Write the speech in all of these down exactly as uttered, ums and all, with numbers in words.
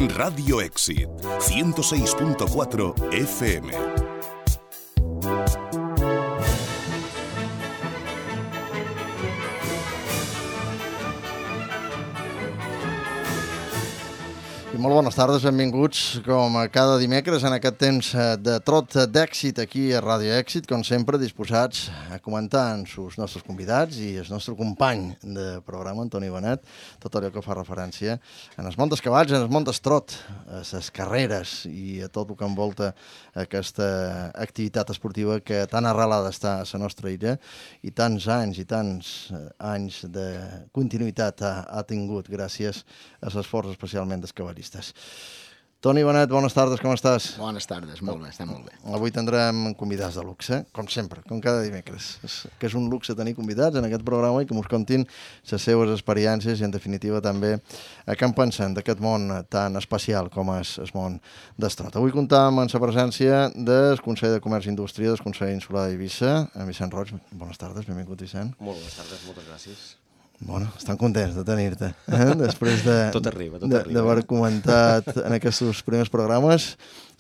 Radio Éxit, ciento seis punto cuatro F M. I molt bones tardes, benvinguts com a cada dimecres en aquest temps de trot d'èxit aquí a Ràdio Èxit, com sempre disposats a comentar amb els nostres convidats i el nostre company de programa, Antoni Benet, tot allò que fa referència a els montes cavalls, a els montes trot, a les carreres i a tot el que envolta aquesta activitat esportiva que tan arrelada està a la nostra illa i tants anys i tants anys de continuïtat ha, ha tingut gràcies a l'esforç especialment dels cavallistes. Toni Benet, bones tardes, com estàs? Bones tardes, molt bé, està molt bé. Avui tindrem convidats de luxe, com sempre, com cada dimecres. És, que és un luxe tenir convidats en aquest programa i que ens contin les seves experiències i, en definitiva, també a què en pensen d'aquest món tan especial com és el món d'estrot. Avui comptam amb la presència del Consell de Comerç i Indústria del Consell Insular d'Eivissa, en Vicent Roig. Bones tardes, benvingut, Vicent. Molt bones tardes, moltes gràcies. Bueno, estan contents de tenir-te, eh? Després de, tot arriba, tot de, arriba. d'haver comentat en aquests primers programes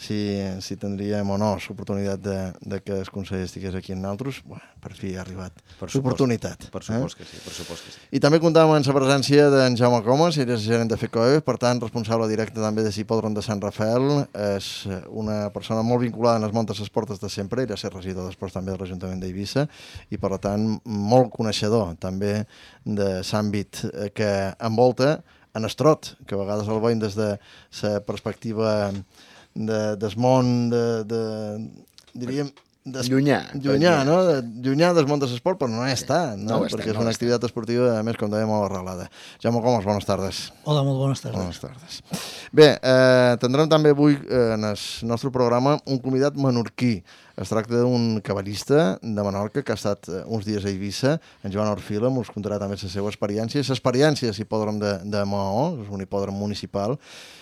si, si tindríem o no l'oportunitat de, de que el Consell estigués aquí amb nosaltres. Bueno, per fi ha arribat l'oportunitat. Per supost que sí, per supost que sí. I també comptàvem amb la presència d'en Jaume Comas, ell és gerent de FECOE, per tant, responsable directe també de l'hipòdrom de Sant Rafael. És una persona molt vinculada en els montes esportes de sempre, ell ha estat regidor després també de l'Ajuntament d'Eivissa i, per tant, molt coneixedor també de l'àmbit que envolta en estrot, que a vegades el veiem des de la perspectiva de, del món de, de, diríem, des... llunyà, llunyà, no? De, llunyà del món de l'esport, però no és tant, no? no Perquè estem, és una no activitat esportiva, a més, com dèiem, molt arrelada. Jaume Comas, bones tardes. Hola, molt bones tardes. Bones tardes. Bé, eh, tindrem també avui eh, en el nostre programa un convidat menorquí. Es tracta d'un cavallista de Menorca que ha estat uns dies a Eivissa, en Joan Orfila, ens contarà també la seva experiència, l'experiència de l'hipòdrom de, de Maó, és un hipòdrom municipal,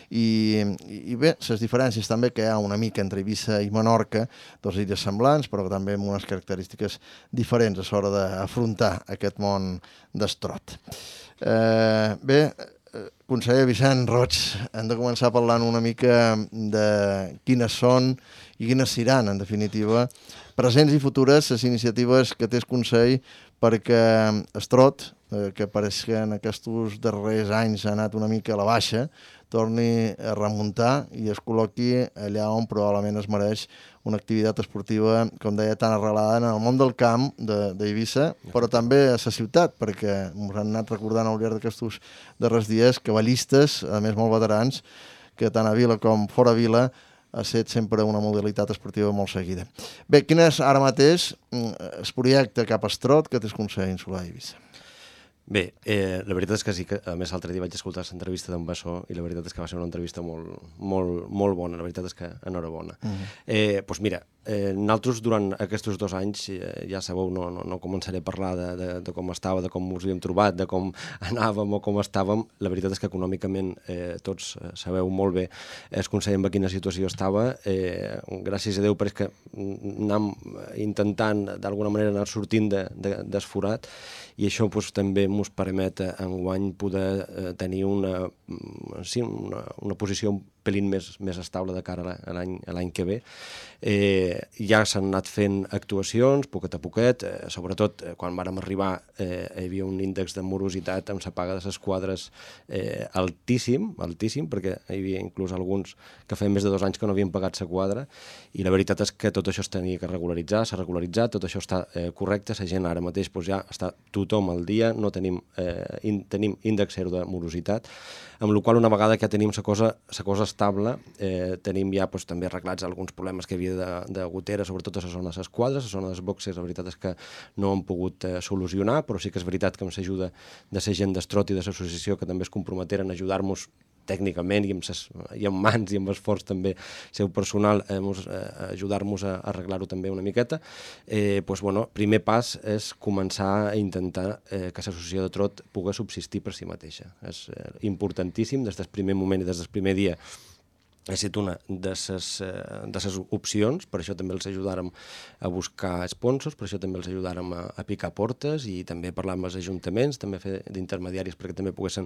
i, i bé, les diferències també que hi ha una mica entre Eivissa i Menorca, dos illes semblants, però també amb unes característiques diferents a l'hora d'afrontar aquest món d'estrot. Eh, bé, conseller Vicent Roig, hem de començar parlant una mica de quines són i quines seran, en definitiva, presents i futures les iniciatives que té el Consell perquè estrot, eh, que pareix que en aquests darrers anys ha anat una mica a la baixa, torni a remuntar i es col·loqui allà on probablement es mereix una activitat esportiva, com deia, tan arrelada en el món del camp d'Eivissa, de, però també a la ciutat, perquè ens han anat recordant al llarg d'aquests darrers dies cavallistes, a més molt veterans, que tant a Vila com fora Vila ha estat sempre una modalitat esportiva molt seguida. Bé, quin és ara mateix el projecte cap a estrot que té el Consell Insular d'Eivissa? Bé, eh, la veritat és que sí, que a més l'altre dia vaig escoltar l'entrevista d'en Bassó i la veritat és que va ser una entrevista molt, molt, molt bona, la veritat és que enhorabona. Uh -huh. eh, doncs mira, eh, nosaltres durant aquests dos anys, eh, ja sabeu, no, no, no començaré a parlar de, de, de com estava, de com us havíem trobat, de com anàvem o com estàvem. La veritat és que econòmicament eh, tots sabeu molt bé el Consell en quina situació estava. Eh, gràcies a Déu, però és que anem intentant d'alguna manera anar sortint de, de, d'esforat i això doncs, també ens permet enguany poder eh, tenir una, sí, una, una posició un pelín més, més estable de cara a l'any a l'any que ve. Eh, ja s'han anat fent actuacions, poquet a poquet, eh, sobretot eh, quan vàrem arribar eh, hi havia un índex de morositat amb la paga de les quadres eh, altíssim, altíssim, perquè hi havia inclús alguns que feien més de dos anys que no havien pagat la quadra, i la veritat és que tot això es tenia que regularitzar, s'ha regularitzat, tot això està eh, correcte, la gent ara mateix doncs, ja està tothom al dia, no tenim, eh, in, tenim índex zero de morositat, amb la qual una vegada que tenim la cosa, la cosa estable, eh, tenim ja doncs, també arreglats alguns problemes que hi havia de, de gotera, sobretot a la zona de les quadres, a la zona dels boxes, la veritat és que no han pogut eh, solucionar, però sí que és veritat que amb l'ajuda de la gent d'Estrot i de l'associació que també es comprometeren a ajudar-nos tècnicament i amb, ses, i amb mans i amb esforç també seu personal eh, a ajudar-nos a, a arreglar-ho també una miqueta, eh, doncs, bueno, primer pas és començar a intentar eh, que l'associació de trot pugui subsistir per si mateixa. És eh, importantíssim des del primer moment i des del primer dia ha estat una de les opcions, per això també els ajudàrem a buscar sponsors, per això també els ajudàrem a, a picar portes i també parlar amb els ajuntaments, també fer d'intermediaris perquè també poguessin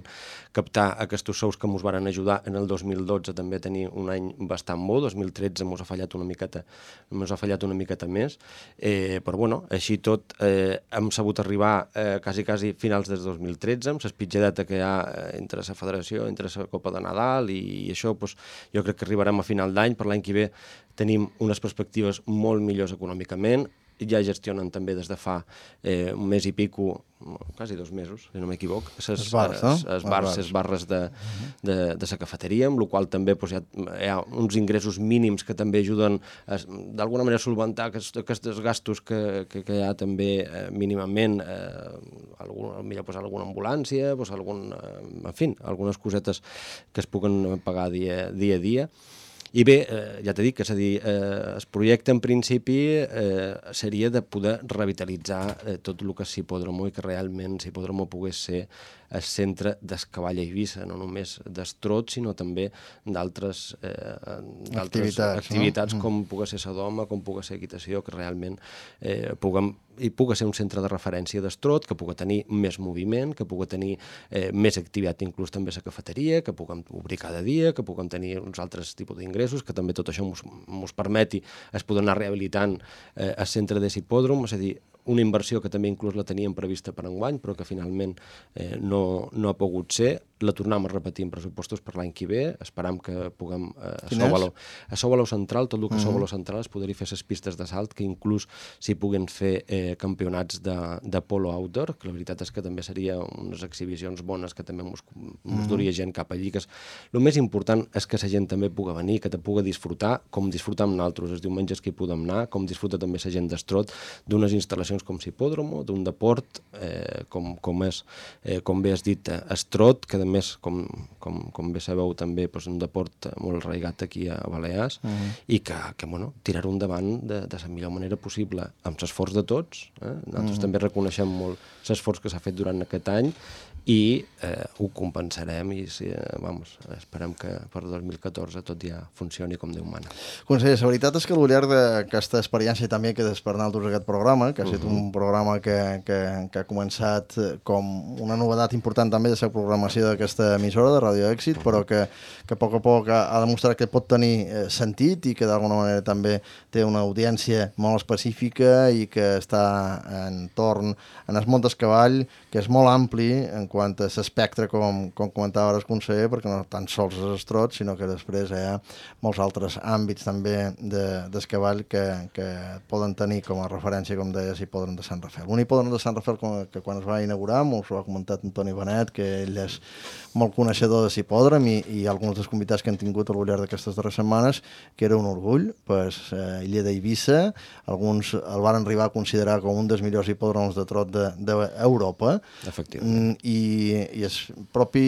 captar aquests sous que ens varen ajudar en el dos mil dotze també a tenir un any bastant bo, dos mil tretze ens ha fallat una miqueta, ens ha fallat una miqueta més, eh, però bueno, així tot eh, hem sabut arribar eh, quasi, quasi finals del dos mil tretze, amb l'espitjadeta que hi ha entre la federació, entre la Copa de Nadal i, i això, doncs, jo crec que arribarem a final d'any, per l'any que ve tenim unes perspectives molt millors econòmicament, ja gestionen també des de fa eh, un mes i pico, quasi dos mesos, si no m'equivoc, les bars, no? bars, les barres de, de, de la cafeteria, amb la qual també doncs, hi, ha, hi ha uns ingressos mínims que també ajuden d'alguna manera a solventar aquests, aquests gastos que, que, que hi ha també eh, mínimament, eh, algun, millor posar alguna ambulància, doncs, algun, eh, en fi, algunes cosetes que es puguen pagar dia, dia a dia. I bé, eh, ja t'he dit que és a dir, eh, el projecte en principi eh, seria de poder revitalitzar eh, tot el que és Hipòdromo i que realment Hipòdromo pogués ser el centre del cavall a Eivissa, no només d'estrot, sinó també d'altres eh, activitats, activitats no? com pugui ser Sodoma, com pugui ser equitació, que realment eh, puguem, i pugui ser un centre de referència d'estrot, que pugui tenir més moviment, que pugui tenir eh, més activitat, inclús també a la cafeteria, que puguem obrir cada dia, que puguem tenir uns altres tipus d'ingressos, que també tot això ens permeti es poder anar rehabilitant eh, el centre de l'hipòdrom, és a dir, una inversió que també inclús la teníem prevista per enguany, però que finalment eh, no, no ha pogut ser. La tornem a repetir en pressupostos per l'any que ve, esperam que puguem eh, a Sou Valor. A Sou Valor Central, tot el que uh -huh. Sou Valor Central es podria fer les pistes de salt, que inclús s'hi puguen fer eh, campionats de, de polo outdoor, que la veritat és que també seria unes exhibicions bones que també ens uh -huh. duria gent cap allí. Que és, el més important és que la gent també pugui venir, que te pugui disfrutar, com disfrutar amb nosaltres els diumenges que hi podem anar, com disfruta també la gent d'estrot, d'unes instal·lacions com l'hipòdromo, d'un deport eh, com, com és, eh, com bé has dit, estrot, que a més, com, com, com bé sabeu, també doncs, un deport molt arraigat aquí a Balears, uh -huh. i que, que bueno, tirar-ho endavant de, de la millor manera possible, amb l'esforç de tots. Eh? Nosaltres uh -huh. també reconeixem molt l'esforç que s'ha fet durant aquest any i eh, ho compensarem i sí, eh, vamos, esperem que per dos mil catorze tot ja funcioni com Déu mana. Conseller, la veritat és que al llarg d'aquesta experiència també que des per nosaltres aquest programa, que ha estat uh -huh. un programa que, que, que ha començat com una novedat important també de la programació d'aquesta emissora de Radio Èxit, uh -huh. però que, que a poc a poc ha, ha demostrat que pot tenir eh, sentit i que d'alguna manera també té una audiència molt específica i que està entorn en el món del cavall, que és molt ampli en quant a l'espectre, com, com comentava ara el conseller, perquè no tan sols és estrot, sinó que després hi ha molts altres àmbits també de, del cavall que, que poden tenir com a referència, com deies, hipòdrom de Sant Rafael. Un hipòdrom de Sant Rafael que quan es va inaugurar, m'ho ha comentat Antoni Benet, que ell és molt coneixedor de l'hipòdrom i, i alguns dels convidats que han tingut al llarg d'aquestes darreres setmanes, que era un orgull, pues, eh, illa d'Eivissa, alguns el van arribar a considerar com un dels millors hipòdroms de trot d'Europa. De, Efectivament. I i el propi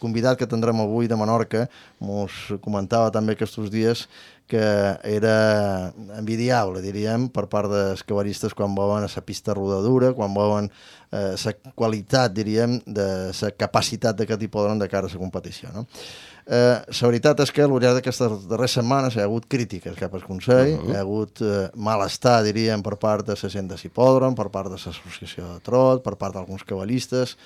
convidat que tindrem avui de Menorca mos comentava també aquests dies que era envidiable, diríem, per part dels cavallistes quan veuen la pista rodadura, quan veuen la eh, qualitat, diríem, de la capacitat d'aquest hipòdrom de cara a la competició, no? Eh, la veritat és que al llarg d'aquestes darreres setmanes hi ha hagut crítiques cap al Consell, uh -huh. hi ha hagut eh, malestar, diríem, per part de la gent de l'hipòdrom, per part de l'associació de trot, per part d'alguns cavallistes.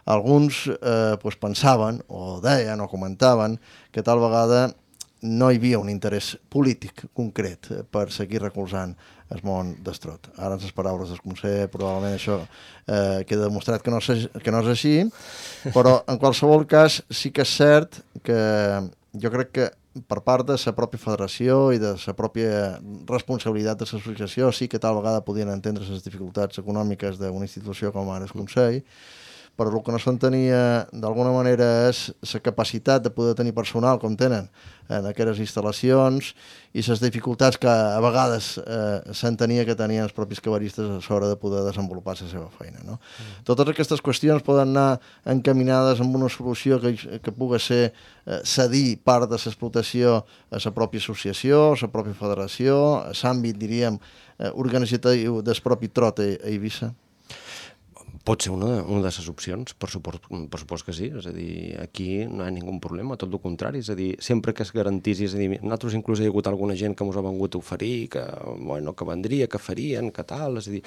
Alguns eh, pues pensaven, o deien, o comentaven, que tal vegada no hi havia un interès polític concret per seguir recolzant el món d'estrot. Ara, en les paraules del conseller, probablement això eh, queda demostrat que no, és, que no és així, però en qualsevol cas sí que és cert que jo crec que per part de la pròpia federació i de la pròpia responsabilitat de l'associació sí que tal vegada podien entendre les dificultats econòmiques d'una institució com ara el Consell, però el que no s'entenia d'alguna manera és la capacitat de poder tenir personal com tenen en aquestes instal·lacions i les dificultats que a vegades eh, s'entenia que tenien els propis cavallistes a l'hora de poder desenvolupar la seva feina, no? Mm. Totes aquestes qüestions poden anar encaminades amb una solució que, que pugui ser eh, cedir part de l'explotació a la pròpia associació, a la pròpia federació, a l'àmbit, diríem, eh, organitzatiu del propi trot a, a Eivissa. Pot ser una, una de les opcions, per suport, per suport que sí, és a dir, aquí no hi ha ningú problema, tot el contrari, és a dir, sempre que es garantís, és a dir, nosaltres inclús hi ha hagut alguna gent que ens ha vengut a oferir, que, bueno, que vendria, que farien, que tal, és a dir,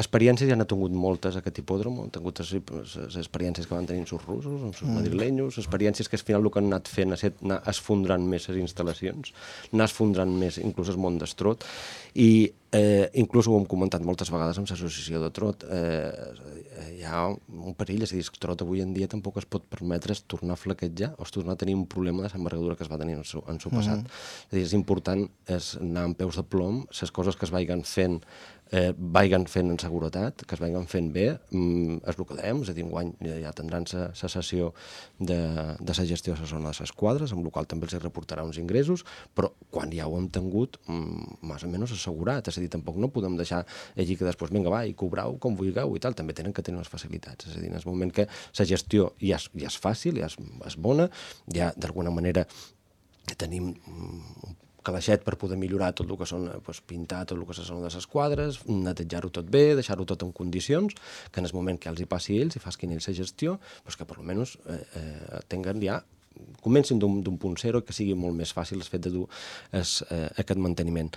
experiències ja n'ha tingut moltes aquest hipòdrom, han tingut les experiències que van tenir els russos, els mm. madrilenyos, experiències que al final el que han anat fent és anar esfondrant més les instal·lacions, anar esfondrant més inclús el món d'estrot, i eh, inclús ho hem comentat moltes vegades amb l'associació de trot, eh, hi ha un perill, és a dir, el trot avui en dia tampoc es pot permetre tornar a flaquejar o es tornar a tenir un problema de l'envergadura que es va tenir en el seu, en el seu passat. Mm-hmm. És a dir, és important és anar amb peus de plom, les coses que es vagin fent eh, vagin fent en seguretat, que es vagin fent bé, mm, és el que dèiem, és a dir, enguany ja tindran la sessió de, de la gestió de la zona de les quadres, amb la qual també els reportarà uns ingressos, però quan ja ho hem tingut, mm, més o menys assegurat, és a dir, tampoc no podem deixar allí que després, vinga, va, i cobrau com vulgueu i tal, també tenen que tenir les facilitats, és a dir, en el moment que la gestió ja és, ja és fàcil, ja és, és bona, ja d'alguna manera tenim un calaixet per poder millorar tot el que són, doncs, pintar tot el que són de les quadres, netejar-ho tot bé, deixar-ho tot en condicions, que en el moment que els hi passi ells i facin ells la gestió, doncs que per almenys eh, eh, tinguin ja comencin d'un punt zero i que sigui molt més fàcil el fet de dur es, eh, aquest manteniment.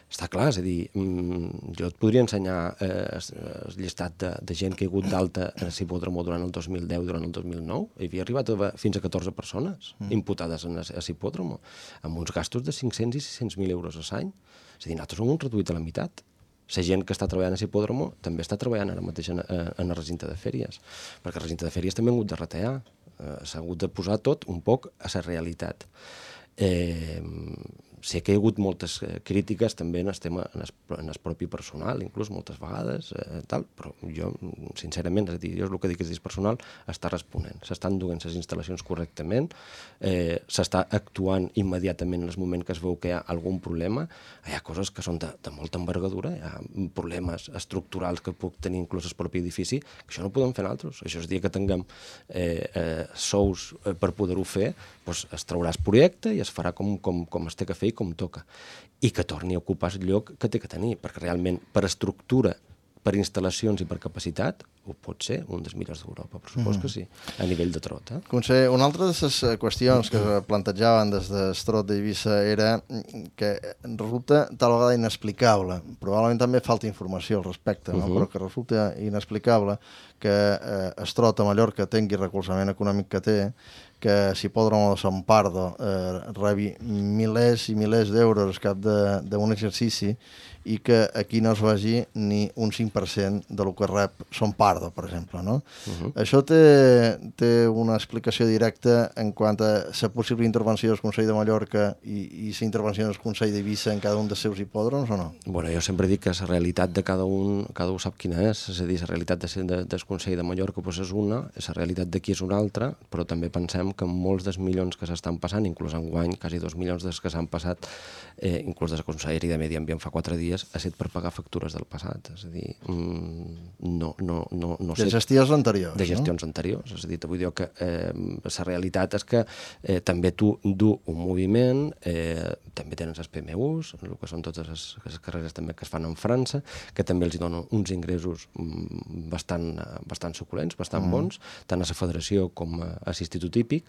Està clar, és a dir, mm, jo et podria ensenyar eh, el llistat de, de gent que hi ha hagut d'alta a l'hipòdromo durant el dos mil deu i durant el dos mil nou. Hi havia arribat a, fins a catorze persones mm. imputades a l'hipòdromo, amb uns gastos de cinc-cents i sis-cents mil euros a l'any. És a dir, nosaltres ho hem reduït a la meitat. La gent que està treballant a l'hipòdromo també està treballant ara mateix en, en el recinte de fèries, perquè el recinte de fèries també ha hagut de retallar, eh, s'ha hagut de posar tot un poc a la realitat. Eh, sé que hi ha hagut moltes crítiques també en el tema, en el, en el propi personal, inclús moltes vegades, eh, tal, però jo, sincerament, és a dir, jo el que dic és que el personal està responent, s'estan duent les instal·lacions correctament, eh, s'està actuant immediatament en el moment que es veu que hi ha algun problema, hi ha coses que són de, de molta envergadura, hi ha problemes estructurals que puc tenir inclús el propi edifici, que això no ho podem fer nosaltres, això és dir que tinguem eh, eh, sous eh, per poder-ho fer, doncs es traurà el projecte i es farà com, com, com es té que fer i com toca, i que torni a ocupar el lloc que té que tenir, perquè realment per estructura, per instal·lacions i per capacitat, ho pot ser un dels millors d'Europa, per suposo mm. que sí, a nivell de trot. Eh? Conseller, una altra de les qüestions que es plantejaven des del trot d'Eivissa era que resulta tal vegada inexplicable, probablement també falta informació al respecte, no? uh -huh. però que resulta inexplicable que eh, el trot a Mallorca tingui el recolzament econòmic que té, que l'hipòdromo de Sant Pardo eh, rebi milers i milers d'euros al cap d'un exercici i que aquí no es vagi ni un cinc per cent del que rep Son Pardo, per exemple. No? Uh-huh. Això té, té una explicació directa en quant a la possible intervenció del Consell de Mallorca i, i la intervenció del Consell d'Eivissa en cada un dels seus hipòdroms o no? Bueno, jo sempre dic que la realitat de cada un, cada un sap quina és, és a dir, la realitat de, de, del Consell de Mallorca pues és una, la realitat d'aquí és una altra, però també pensem que molts dels milions que s'estan passant, inclús enguany, quasi dos milions dels que s'han passat, eh, inclús des de Conselleria de Medi Ambient fa quatre dies, ha estat per pagar factures del passat, és a dir, no, no, no, no sé... De gestions anteriors, De gestions no? anteriors, és a dir, vull dir que eh, la realitat és que eh, també tu du un moviment, eh, també tenen els P M Us, el que són totes les, les carreres també que es fan en França, que també els donen uns ingressos bastant, bastant suculents, bastant mm. bons, tant a la federació com a, a l'Institut Hípic,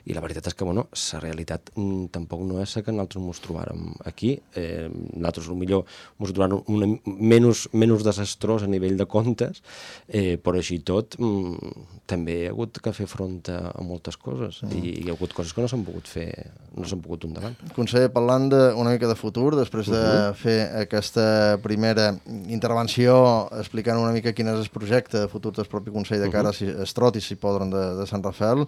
i la veritat és que, bueno, la realitat mm, tampoc no és la que nosaltres ens trobàrem aquí. Eh, nosaltres, potser, ens trobàrem una, menys, menys desastrós a nivell de comptes, eh, però així tot mm, també hi ha hagut que fer front a, a moltes coses mm. i hi ha hagut coses que no s'han pogut fer, no s'han pogut endavant. Conseller, parlant de, una mica de futur, després de uh-huh. fer aquesta primera intervenció explicant una mica quin és el projecte de futur del propi Consell de cara uh-huh. a Estrot i Hipòdrom de, de Sant Rafael,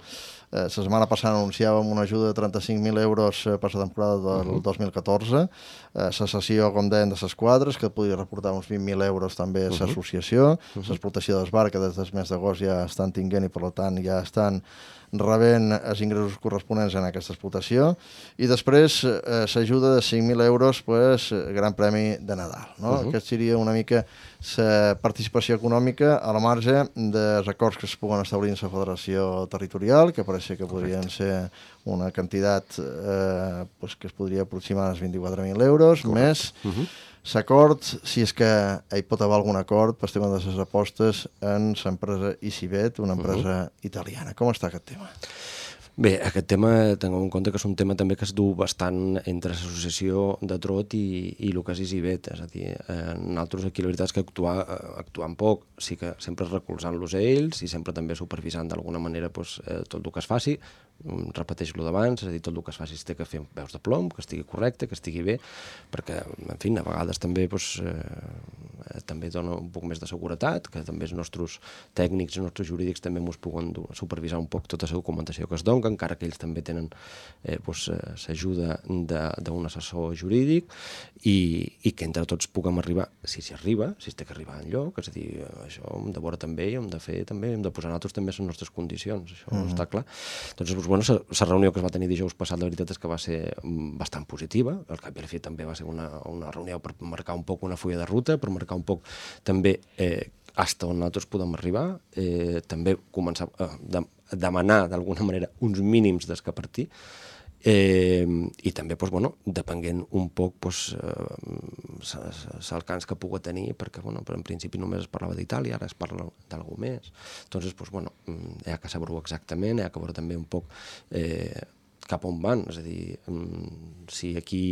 eh, la setmana passada anunciàvem una ajuda de trenta-cinc mil euros per la temporada del uh-huh. dos mil catorze, eh, la cessió, com deien, de les quadres, que podria reportar uns vint mil euros també a l'associació, uh-huh. l'explotació de les barques des del mes d'agost ja estan tinguent i per tant ja estan rebent els ingressos corresponents en aquesta explotació, i després eh, s'ajuda de cinc mil euros pues, Gran Premi de Nadal. No? Uh-huh. Aquest seria una mica la participació econòmica a la marge dels acords que es puguen establir en la Federació Territorial, que pareix que podrien Correcte. ser una quantitat eh, pues, que es podria aproximar als vint-i-quatre mil euros, Correcte. més uh-huh. l'acord, si és que hi pot haver algun acord per tema de les apostes en l'empresa Icibet, una empresa uh-huh. italiana. Com està aquest tema? Bé, aquest tema, tinguem en compte que és un tema també que es du bastant entre l'associació de Trot i, i el que és Icibet, és a dir, eh, nosaltres aquí la veritat és que actuar, actuant poc, sí que sempre recolzant-los a ells i sempre també supervisant d'alguna manera doncs, eh, tot el que es faci, repeteix lo d'abans, és a dir, tot el que es faci es té que fer veus de plom, que estigui correcte, que estigui bé, perquè, en fi, a vegades també doncs, eh, també dona un poc més de seguretat, que també els nostres tècnics, els nostres jurídics també ens puguen supervisar un poc tota la documentació que es dona, encara que ells també tenen eh, doncs, l'ajuda d'un assessor jurídic i, i que entre tots puguem arribar, si s'hi arriba, si es té que arribar enlloc, és a dir, això hem de veure també i hem de fer també, hem de posar nosaltres també les nostres condicions, això mm-hmm. està clar. Doncs, doncs bueno, la reunió que es va tenir dijous passat, la veritat és que va ser bastant positiva, al cap i a la fi també va ser una, una reunió per marcar un poc una fulla de ruta, per marcar un poc també eh, fins on nosaltres podem arribar, eh, també començar a de, demanar d'alguna manera uns mínims des que partir, eh, i també, doncs, bueno, depenent un poc doncs, eh, l'alcance que pugui tenir, perquè bueno, en principi només es parlava d'Itàlia, ara es parla d'algú més, doncs, doncs bueno, hi ha que saber-ho exactament, hi ha que veure també un poc eh, cap on van, és a dir, si aquí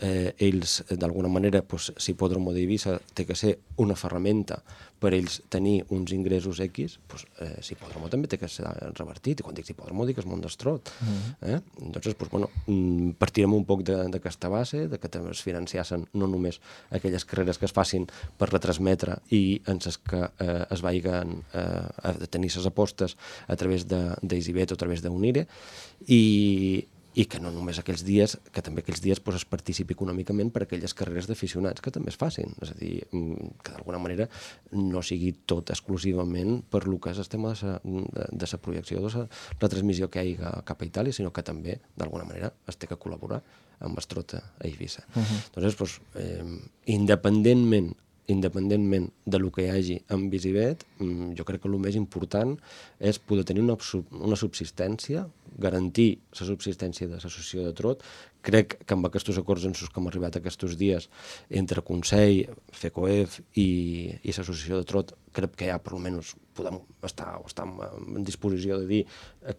eh, ells d'alguna manera pues, si Hipòdromo d'Eivissa té que ser una ferramenta per ells tenir uns ingressos X, pues, eh, si Hipòdromo també té que ser revertit, i quan dic Hipòdromo dic és món d'estrot. Eh? Doncs, pues, bueno, partirem un poc d'aquesta base, de que també es financiassen no només aquelles carreres que es facin per retransmetre i en les que eh, es vagin eh, a tenir les apostes a través d'Eisibet o a través d'Unire, i i que no només aquells dies, que també aquells dies pues, es participi econòmicament per aquelles carreres d'aficionats que també es facin. És a dir, que d'alguna manera no sigui tot exclusivament per lo que és el tema de la projecció, de la transmissió que hi ha cap a Itàlia, sinó que també, d'alguna manera, es té que col·laborar amb Estrota a Eivissa. Uh-huh. Doncs, pues, eh, independentment independentment de lo que hi hagi amb Icibet, jo crec que el més important és poder tenir una, una subsistència, garantir la subsistència de l'associació de Trot. Crec que amb aquests acords en els que hem arribat aquests dies entre Consell, FECOEF i, i l'associació de Trot, crec que ja per almenys podem estar, estar en disposició de dir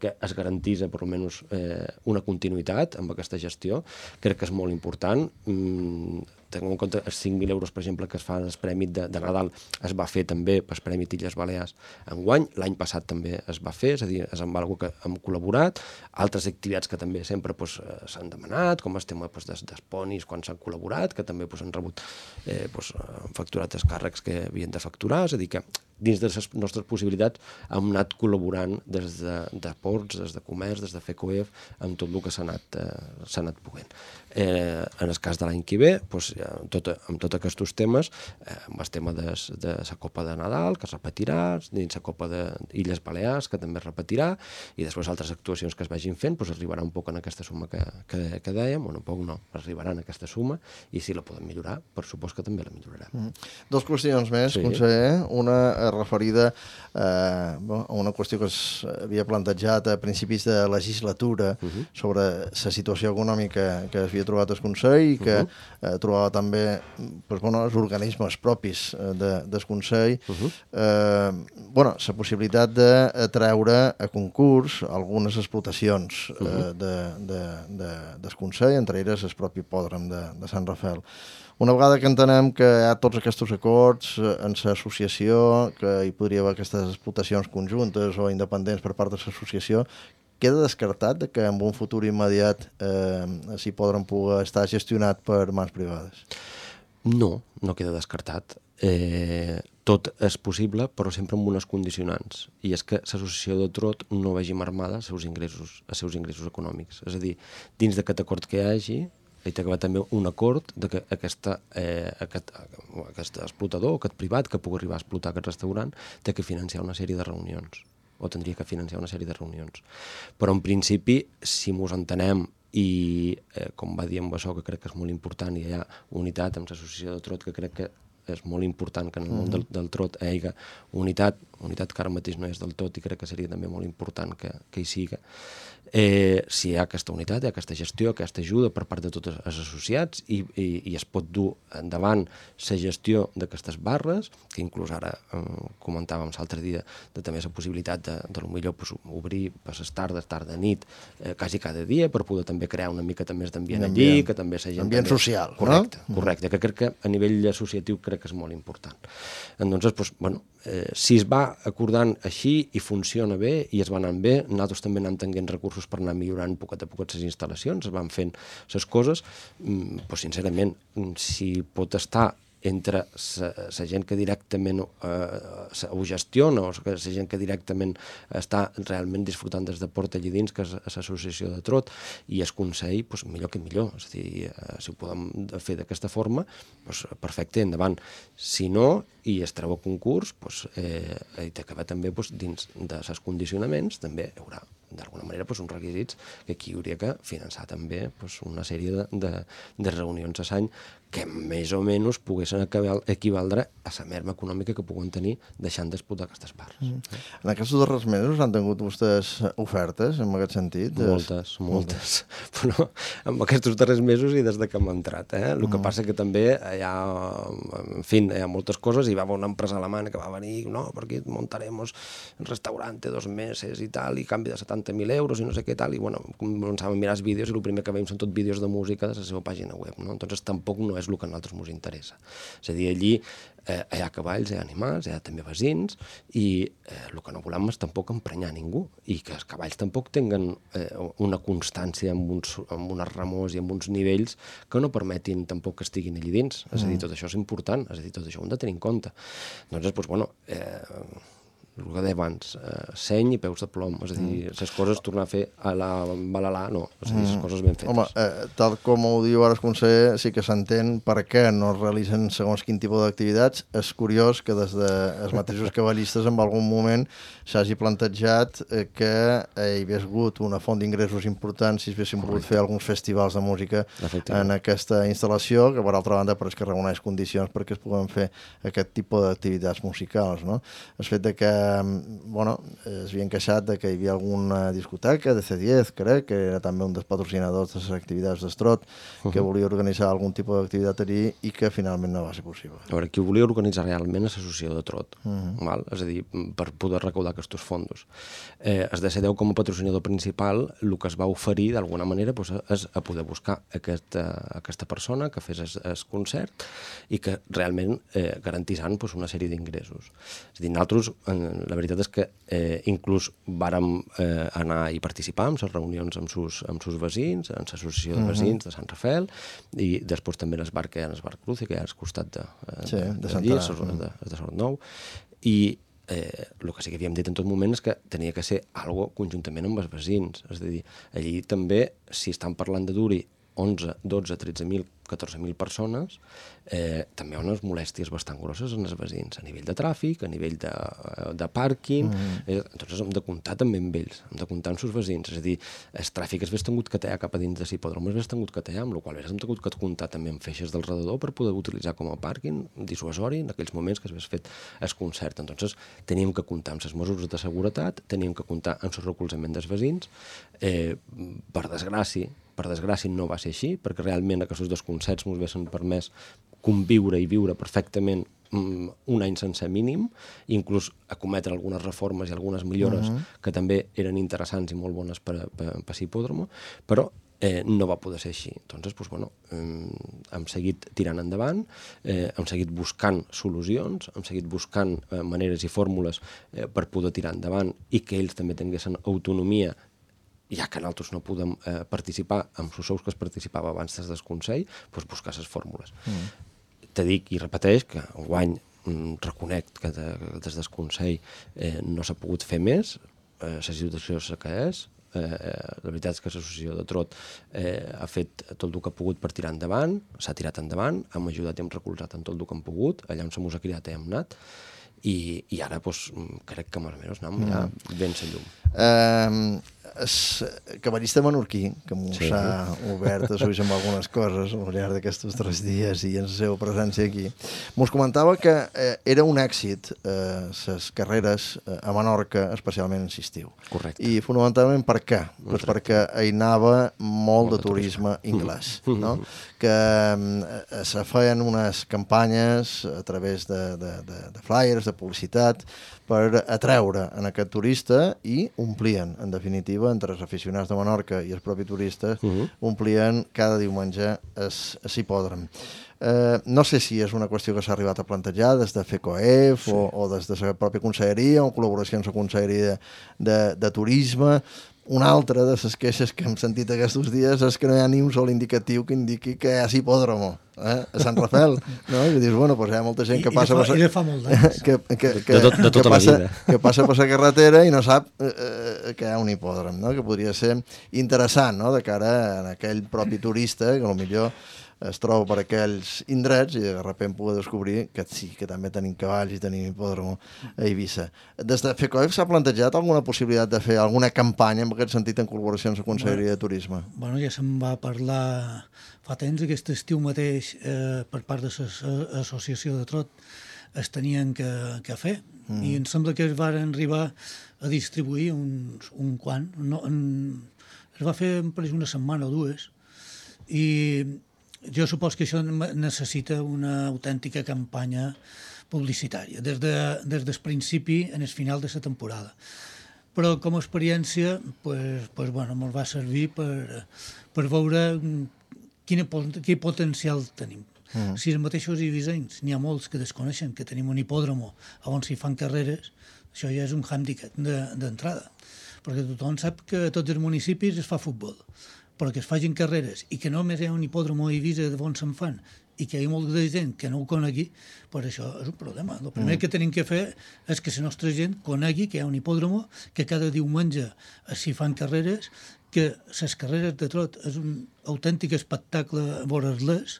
que es garantís per almenys eh, una continuïtat amb aquesta gestió. Crec que és molt important. Mm, Tinguem en compte els cinc mil euros, per exemple, que es fa el Premi de, de Nadal, es va fer també pel Premi Illes Balears enguany. L'any passat també es va fer, és a dir, és amb alguna que hem col·laborat. Altres activitats que també sempre pues, s'han demanat, com el tema pues, des, dels ponis quan s'han col·laborat, que també pues, han rebut, eh, pues, han facturat els càrrecs que havien de facturar, és a dir, que dins de les nostres possibilitats hem anat col·laborant des de, de ports, des de comerç, des de FECOEF, amb tot el que s'ha anat, eh, s'ha anat poguent. Eh, en el cas de l'any que ve, doncs, amb, tot, amb tots aquests temes, eh, amb el tema de, de la Copa de Nadal, que es repetirà, dins la Copa d'Illes Balears, que també es repetirà, i després altres actuacions que es vagin fent, doncs arribarà un poc en aquesta suma que, que, que dèiem, o un poc no, arribarà en aquesta suma, i si la podem millorar, per supòs que també la millorarem. Mm. Dos qüestions més, sí. Conseller. Una referida eh, a una qüestió que s'havia plantejat a principis de legislatura uh-huh. sobre la situació econòmica que es havia trobat el Consell i que uh-huh. eh, trobava també pues, bueno, els organismes propis de, del Consell. Uh-huh. eh, bueno, la possibilitat de treure a concurs algunes explotacions uh-huh. eh, de, de, de, del Consell, entre elles el propi hipòdrom de, de Sant Rafael. Una vegada que entenem que hi ha tots aquests acords en l'associació, que hi podria haver aquestes explotacions conjuntes o independents per part de l'associació, queda descartat que en un futur immediat eh, s'hi podran poder estar gestionat per mans privades? No, no queda descartat. Eh, tot és possible, però sempre amb unes condicionants. I és que l'associació de Trot no vegi marmada els seus ingressos, els seus ingressos econòmics. És a dir, dins d'aquest acord que hi hagi, hi ha d'haver també un acord de que aquesta, eh, aquest, aquest explotador o aquest privat que pugui arribar a explotar aquest restaurant té que financiar una sèrie de reunions, o tindria que financiar una sèrie de reunions. Però en principi, si mos entenem i, eh, com va dir amb això, que crec que és molt important, i hi ha unitat amb l'associació de Trot, que crec que és molt important que en el món del, del Trot hi hagi unitat, unitat que ara mateix no és del tot i crec que seria també molt important que, que hi siga. eh, si hi ha aquesta unitat, hi ha aquesta gestió, aquesta ajuda per part de tots els associats i, i, i es pot dur endavant la gestió d'aquestes barres, que inclús ara eh, comentàvem l'altre dia de també la possibilitat de, de lo millor pues, obrir per les tardes, tarda, nit, eh, quasi cada dia, per poder també crear una mica més d'ambient allí, que també la gent... Ambient també... social, correcte, no? Correcte, que crec que a nivell associatiu crec que és molt important. Entonces, pues, bueno, eh, si es va acordant així i funciona bé i es va anant bé, nosaltres també anem tenint recursos per anar millorant poquet a poquet les instal·lacions, es van fent les coses, pues, sincerament, si pot estar entre la gent que directament eh, ho gestiona o la gent que directament està realment disfrutant des de Port allà dins, que és l'associació de Trot, i el Consell, doncs, millor que millor. És a dir, eh, si ho podem fer d'aquesta forma, doncs, perfecte, endavant. Si no, i es treu a concurs, doncs, eh, i t'acaba també doncs, dins dels condicionaments, també hi haurà d'alguna manera doncs, uns requisits que aquí hauria que finançar també doncs, una sèrie de, de, de reunions a l'any que més o menys poguessin equivaldre a la merma econòmica que puguen tenir deixant d'explotar aquestes parts. Mm. En aquests darrers mesos han tingut vostès ofertes en aquest sentit? Moltes, moltes. Però en aquests darrers mesos i des de que hem entrat. Eh? El que mm. passa que també hi ha, en fi, hi ha moltes coses, hi va haver una empresa alemana que va venir, no, perquè muntaremos un restaurante dos meses i tal, i canvi de setanta mil euros i no sé què tal, i bueno, començàvem a mirar els vídeos i el primer que veiem són tot vídeos de música de la seva pàgina web, no? Entonces tampoc no és el que a nosaltres ens interessa. És a dir, allí eh, hi ha cavalls, hi ha animals, hi ha també vecins, i eh, el que no volem és tampoc emprenyar ningú, i que els cavalls tampoc tinguen eh, una constància amb, uns, amb unes remors i amb uns nivells que no permetin tampoc que estiguin allí dins. És a dir, tot això és important, és a dir, tot això ho hem de tenir en compte. Doncs, doncs bueno, eh, el que deia abans, eh, seny i peus de plom, és a dir, les coses tornar a fer a la balalà, no, és a dir, les coses ben fetes. Home, eh, tal com ho diu ara el conseller, sí que s'entén per què no es realitzen segons quin tipus d'activitats. És curiós que des dels mateixos cavallistes en algun moment s'hagi plantejat eh, que hi hagués hagut una font d'ingressos important si haguéssim pogut fer alguns festivals de música en aquesta instal·lació, que per altra banda però és que reuneix condicions perquè es puguen fer aquest tipus d'activitats musicals, no? El fet de que bueno, es havien queixat de que hi havia alguna discoteca de C diez, crec, que era també un dels patrocinadors de les activitats d'Estrot, que uh-huh. volia organitzar algun tipus d'activitat allí i que finalment no va ser possible. A veure, qui ho volia organitzar realment és l'associació de Trot, uh-huh. val? És a dir, per poder recaudar aquests fons. Eh, es decideu com a patrocinador principal, el que es va oferir d'alguna manera doncs, és a poder buscar aquesta, aquesta persona que fes el concert i que realment eh, garantissant doncs, una sèrie d'ingressos. És a dir, nosaltres, la veritat és que eh, inclús vàrem eh, anar i participar en les reunions amb sus, amb sus vecins, en l'associació de vecins de Sant Rafael, i després també en el bar que hi ha en el bar Cruz, que hi ha al costat de, eh, sí, de, de Sant Rafael, de, de Sort Nou, i eh, el que sí que havíem dit en tot moment és que tenia que ser algo conjuntament amb els vecins, és a dir, allí també, si estan parlant de dur-hi onze, dotze, tretze mil, catorze mil persones, eh, també hi ha unes molèsties bastant grosses en els vecins, a nivell de tràfic, a nivell de, de pàrquing, mm. eh, entonces hem de comptar també amb ells, hem de comptar amb els vecins, és a dir, el tràfic es vés tingut que tallar cap a dins de l'hipòdrom, es vés tingut que tallar, amb la qual cosa hem tingut que comptar també amb feixes del redador per poder utilitzar com a pàrquing dissuasori en aquells moments que es vés fet el concert. Entonces teníem que comptar amb les mesures de seguretat, teníem que comptar amb el recolzament dels vecins, eh, per desgràcia, per desgràcia no va ser així, perquè realment aquests dos concerts ens haguessin permès conviure i viure perfectament um, un any sencer mínim, inclús acometre algunes reformes i algunes millores uh-huh. que també eren interessants i molt bones per, per, per l'hipòdromo, però eh, no va poder ser així. Entonces, pues, bueno, eh, hem seguit tirant endavant, eh, hem seguit buscant solucions, hem seguit buscant eh, maneres i fórmules eh, per poder tirar endavant i que ells també tinguessin autonomia, ja que nosaltres no podem eh, participar amb els sous que es participava abans des del Consell, doncs buscar les fórmules. Mm. Te dic i repeteix que enguany mm, reconec que de, des del Consell eh, no s'ha pogut fer més, eh, la situació és la que és, eh, la veritat és que l'associació de Trot eh, ha fet tot el que ha pogut per tirar endavant, s'ha tirat endavant, hem ajudat i hem recolzat en tot el que hem pogut, allà on se mos ha criat hem anat, i, i ara doncs, crec que més o menys anem ja ben la llum. Eh, el cavallista menorquí, que m'ho Sí. s'ha obert a suix amb algunes coses al llarg d'aquests tres dies i en la seva presència aquí, mos comentava que eh, era un èxit les eh, carreres eh, a Menorca, especialment en l'estiu. Correcte. I fonamentalment per què? Pues perquè hi anava molt de turisme anglès, no? Que eh, se feien unes campanyes a través de, de, de, de flyers, de publicitat, per atreure en aquest turista i omplien, en definitiva, entre els aficionats de Menorca i els propis turistes, uh -huh. omplien cada diumenge el hipòdrom. Eh, no sé si és una qüestió que s'ha arribat a plantejar des de FECOEF sí. o, o des de la pròpia conselleria o en col·laboració amb la conselleria de, de, de turisme. Una altra de les queixes que hem sentit aquests dies és que no hi ha ni un sol indicatiu que indiqui que hi ha hipòdromo eh? A Sant Rafael, no? I dius, bueno, pues hi ha molta gent que I, passa... I, de fa, per... i de fa molt d'anys. que, que, que, de, tot, de tota que la passa, vida. Que passa per la carretera i no sap eh, eh, que hi ha un hipòdrom, no? Que podria ser interessant, no? De cara a aquell propi turista que potser es troba per aquells indrets i de sobte pugui descobrir que sí, que també tenim cavalls i tenim hipòdrom a Eivissa. Des de FECOEF s'ha plantejat alguna possibilitat de fer alguna campanya en aquest sentit en col·laboració amb la Conselleria de Turisme? Bueno, ja se'n va parlar fa temps, aquest estiu mateix, eh, per part de l'associació de Trot, es tenien que, que fer. Mm. I em sembla que es van arribar a distribuir uns, un quant. No, en, es va fer per una setmana o dues. I jo supos que això necessita una autèntica campanya publicitària, des, de, des del principi en el final de la temporada. Però com a experiència, pues, pues, bueno, ens va servir per, per veure quin, quin potencial tenim. Mm. Si els mateixos ibisencs, n'hi ha molts que desconeixen que tenim un hipòdromo on s'hi fan carreres, això ja és un hàndicap d'entrada, perquè tothom sap que a tots els municipis es fa futbol, però que es facin carreres i que només hi ha un hipòdromo a Eivissa on se'n fan i que hi ha molta gent que no ho conegui, pues això és un problema. El primer mm. que tenim que fer és que la nostra gent conegui que hi ha un hipòdromo, que cada diumenge s'hi fan carreres, que les carreres de trot és un autèntic espectacle veure-les,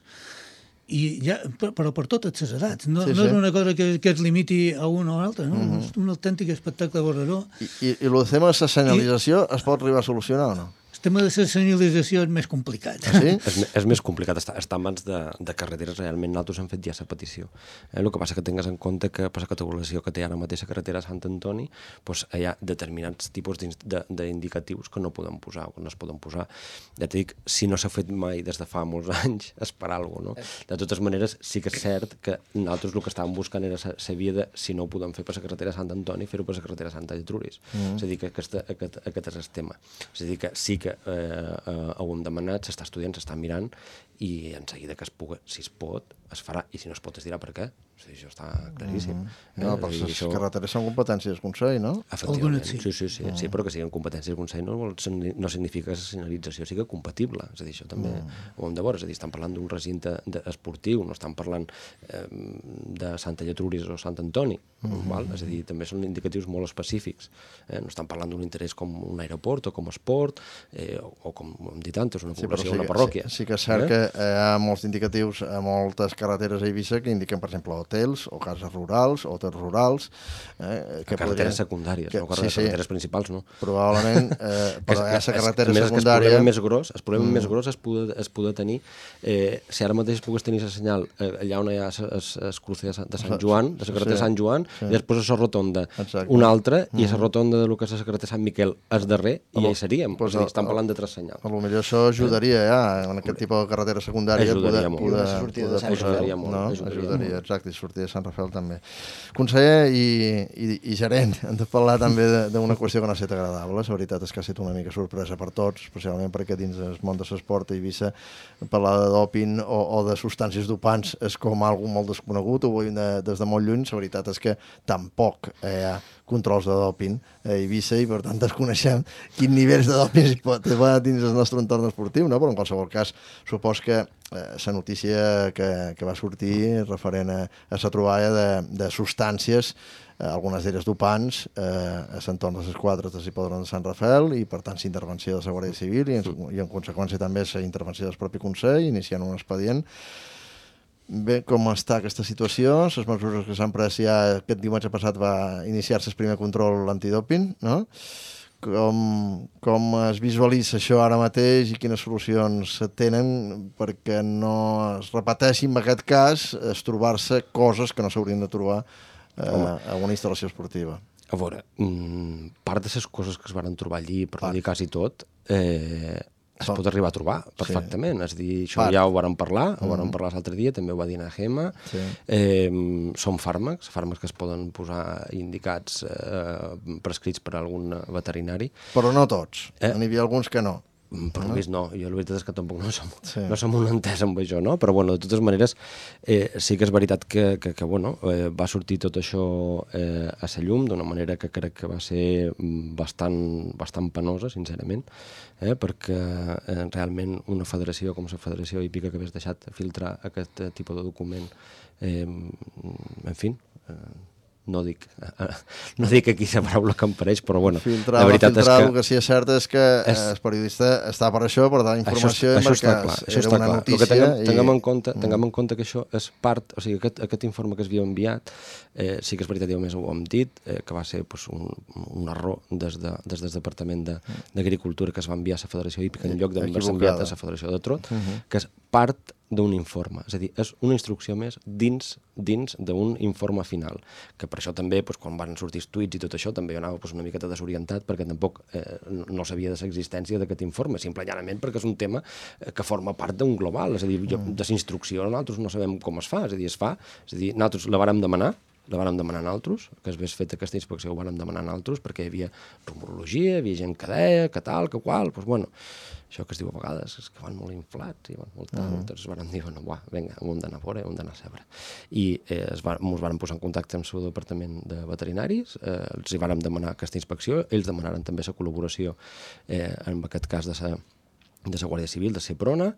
i ja, però per totes les edats. No, sí, no és sí. una cosa que, que es limiti a un o a l'altre, no? Mm-hmm. És un autèntic espectacle veure-lo. I, i, i el tema de la senyalització I... es pot arribar a solucionar o no? El tema de la senyalització és més complicat. Ah, sí? és, és més complicat, està, està en mans de, de carreteres, realment nosaltres hem fet ja la petició. Eh, el que passa que tingues en compte que per la categorització que té ara mateix la carretera a Sant Antoni, doncs hi ha determinats tipus d'indicatius que no poden posar o que no es poden posar. Ja t'he dit, si no s'ha fet mai des de fa molts anys, és per alguna cosa, no? De totes maneres, sí que és cert que nosaltres el que estàvem buscant era la via de, si no ho podem fer per la carretera a Sant Antoni, fer-ho per la carretera a Santa Getruris. Mm. És a dir, que aquest, aquest, aquest és el tema. És a dir, que sí que Eh, eh, ho hem demanat, s'està estudiant, s'està mirant i en seguida que es pugui, si es pot, es farà, i si no es pot es dirà per què. O sigui, això està claríssim. Mm-hmm. No, eh, però les això... carreteres són competències del Consell, no? Efectivament, sí, sí, sí, sí, mm. sí, però que siguin competències del Consell no, no significa que la senyalització sigui compatible, és a dir, això també mm. ho hem de veure, és a dir, estan parlant d'un recinte esportiu, no estan parlant eh, de Santa Getruris o Sant Antoni, mm-hmm. val? És a dir, també són indicatius molt específics, eh? No estan parlant d'un interès com un aeroport o com esport, eh, o, o com hem dit antes, una població, sí, sí, una parròquia. Sí, sí que és cert eh? que hi ha molts indicatius a moltes carreteres a Eivissa que indiquen, per exemple, hotels o cases rurals, hotels rurals. Eh, que carreteres podrien... secundàries, que... no carreteres, sí, sí. carreteres principals, no. Probablement, eh, però hi ha la carretera més, secundària... El problema més gros, el problema mm. més gros es poder, es poder tenir, eh, si ara mateix pogués tenir la senyal eh, allà on hi ha el cruce de Sant Joan, de la carretera sí. Sant Joan, sí. i després a la rotonda Exacte. Una altra, mm. i a la rotonda de lo que és la carretera Sant Miquel és darrer, i ja hi seríem. Pues, o sigui, estan parlant de tres senyals. A lo millor això ajudaria ja, en aquest tipus de carretera secundària. Ajudaria molt. Poder, poder, poder ajudaria molt. No? Ajudaria, ajudaria molt. Exacte, i sortir de Sant Rafael també. Conseller i, i, i gerent, hem de parlar també d'una qüestió que no ha estat agradable. La veritat és que ha estat una mica sorpresa per tots, especialment perquè dins el món de l'esport a Eivissa parlar de doping o, o de substàncies dopants és com algo molt desconegut, ho veiem de, des de molt lluny. La veritat és que tampoc hi ha controls de doping a Eivissa i per tant desconeixem quin nivells de doping hi pot haver dins el nostre entorn esportiu, no? Però en qualsevol cas supos que la eh, notícia que, que va sortir referent a, a la troballa de, de substàncies, eh, algunes d'elles dopants, eh, a l'entorn de les quadres de l'hipòdrom de Sant Rafael i per tant l'intervenció de la Guàrdia Civil i en, i en conseqüència també la intervenció del propi Consell iniciant un expedient. Bé, com està aquesta situació? Les mesures que s'han pres ja aquest diumenge passat va iniciar-se el primer control antidoping, no? com, com es visualitza això ara mateix i quines solucions tenen perquè no es repeteixi en aquest cas es trobar-se coses que no s'haurien de trobar eh, a una instal·lació esportiva. A veure, part de les coses que es van trobar allí, per no dir quasi tot, eh, es pot arribar a trobar perfectament. Sí. És a dir, això Part. ja ho vàrem parlar, ho mm. vàrem parlar l'altre dia, també ho va dir na Gemma. Sí. Eh, són fàrmacs, fàrmacs que es poden posar indicats, eh, prescrits per algun veterinari. Però no tots, eh? N'hi havia alguns que no. Per no? Més no, jo la veritat és que tampoc no som, sí. no som un entès amb això, no? Però bueno, de totes maneres, eh, sí que és veritat que, que, que bueno, eh, va sortir tot això eh, a la llum d'una manera que crec que va ser bastant, bastant penosa, sincerament, eh, perquè eh, realment una federació com la Federació Hípica que hagués deixat filtrar aquest eh, tipus de document, eh, en fi... Eh, No dic, no dic aquí la paraula que em pareix, però bueno, filtrar, la veritat filtrar, és que... El que sí és cert és que és... el periodista està per això, per donar informació, això, això perquè està clar, això era està una clar. notícia... El que tinguem, i... tinguem, en compte, tinguem en compte que això és part, o sigui, aquest, aquest informe que es havia enviat, eh, sí que és veritat, jo més ho hem dit, eh, que va ser pues, un, un error des, de, des del Departament d'Agricultura que es va enviar a la Federació Hípica en lloc d'haver-se enviat a la Federació de Trot, uh -huh. que és part d'un informe, és a dir, és una instrucció més dins dins d'un informe final, que per això també, doncs, quan van sortir els tuits i tot això, també jo anava doncs, una miqueta desorientat, perquè tampoc eh, no sabia de l'existència d'aquest informe, simplement perquè és un tema que forma part d'un global, és a dir, jo, de l'instrucció nosaltres no sabem com es fa, és a dir, es fa, és a dir, nosaltres la vàrem demanar, la vàrem demanar nosaltres, que es hagués fet aquesta inspecció ho vàrem demanar nosaltres, perquè hi havia rumorologia, hi havia gent que deia, que tal, que qual, doncs, bueno, això que es diu a vegades, és que van molt inflats i van molt tal, uh-huh. Doncs van dir, bueno, buah, vinga, hem d'anar a fora, hem d'anar a sebre. I eh, es va, ens van posar en contacte amb el seu departament de veterinaris, eh, els hi vàrem demanar aquesta inspecció, ells demanaren també la col·laboració, eh, en aquest cas de la de la Guàrdia Civil, de Seprona,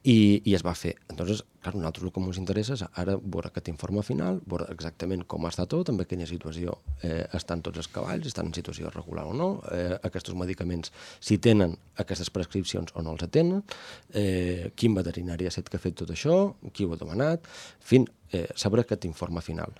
i, i es va fer. Entonces, clar, a nosaltres el que ens interessa és ara veure aquest informe final, veure exactament com està tot, en quina situació eh, estan tots els cavalls, estan en situació regular o no, eh, aquests medicaments, si tenen aquestes prescripcions o no els tenen, eh, quin veterinari ha estat que ha fet tot això, qui ho ha demanat, en fi, eh, saber aquest informe final.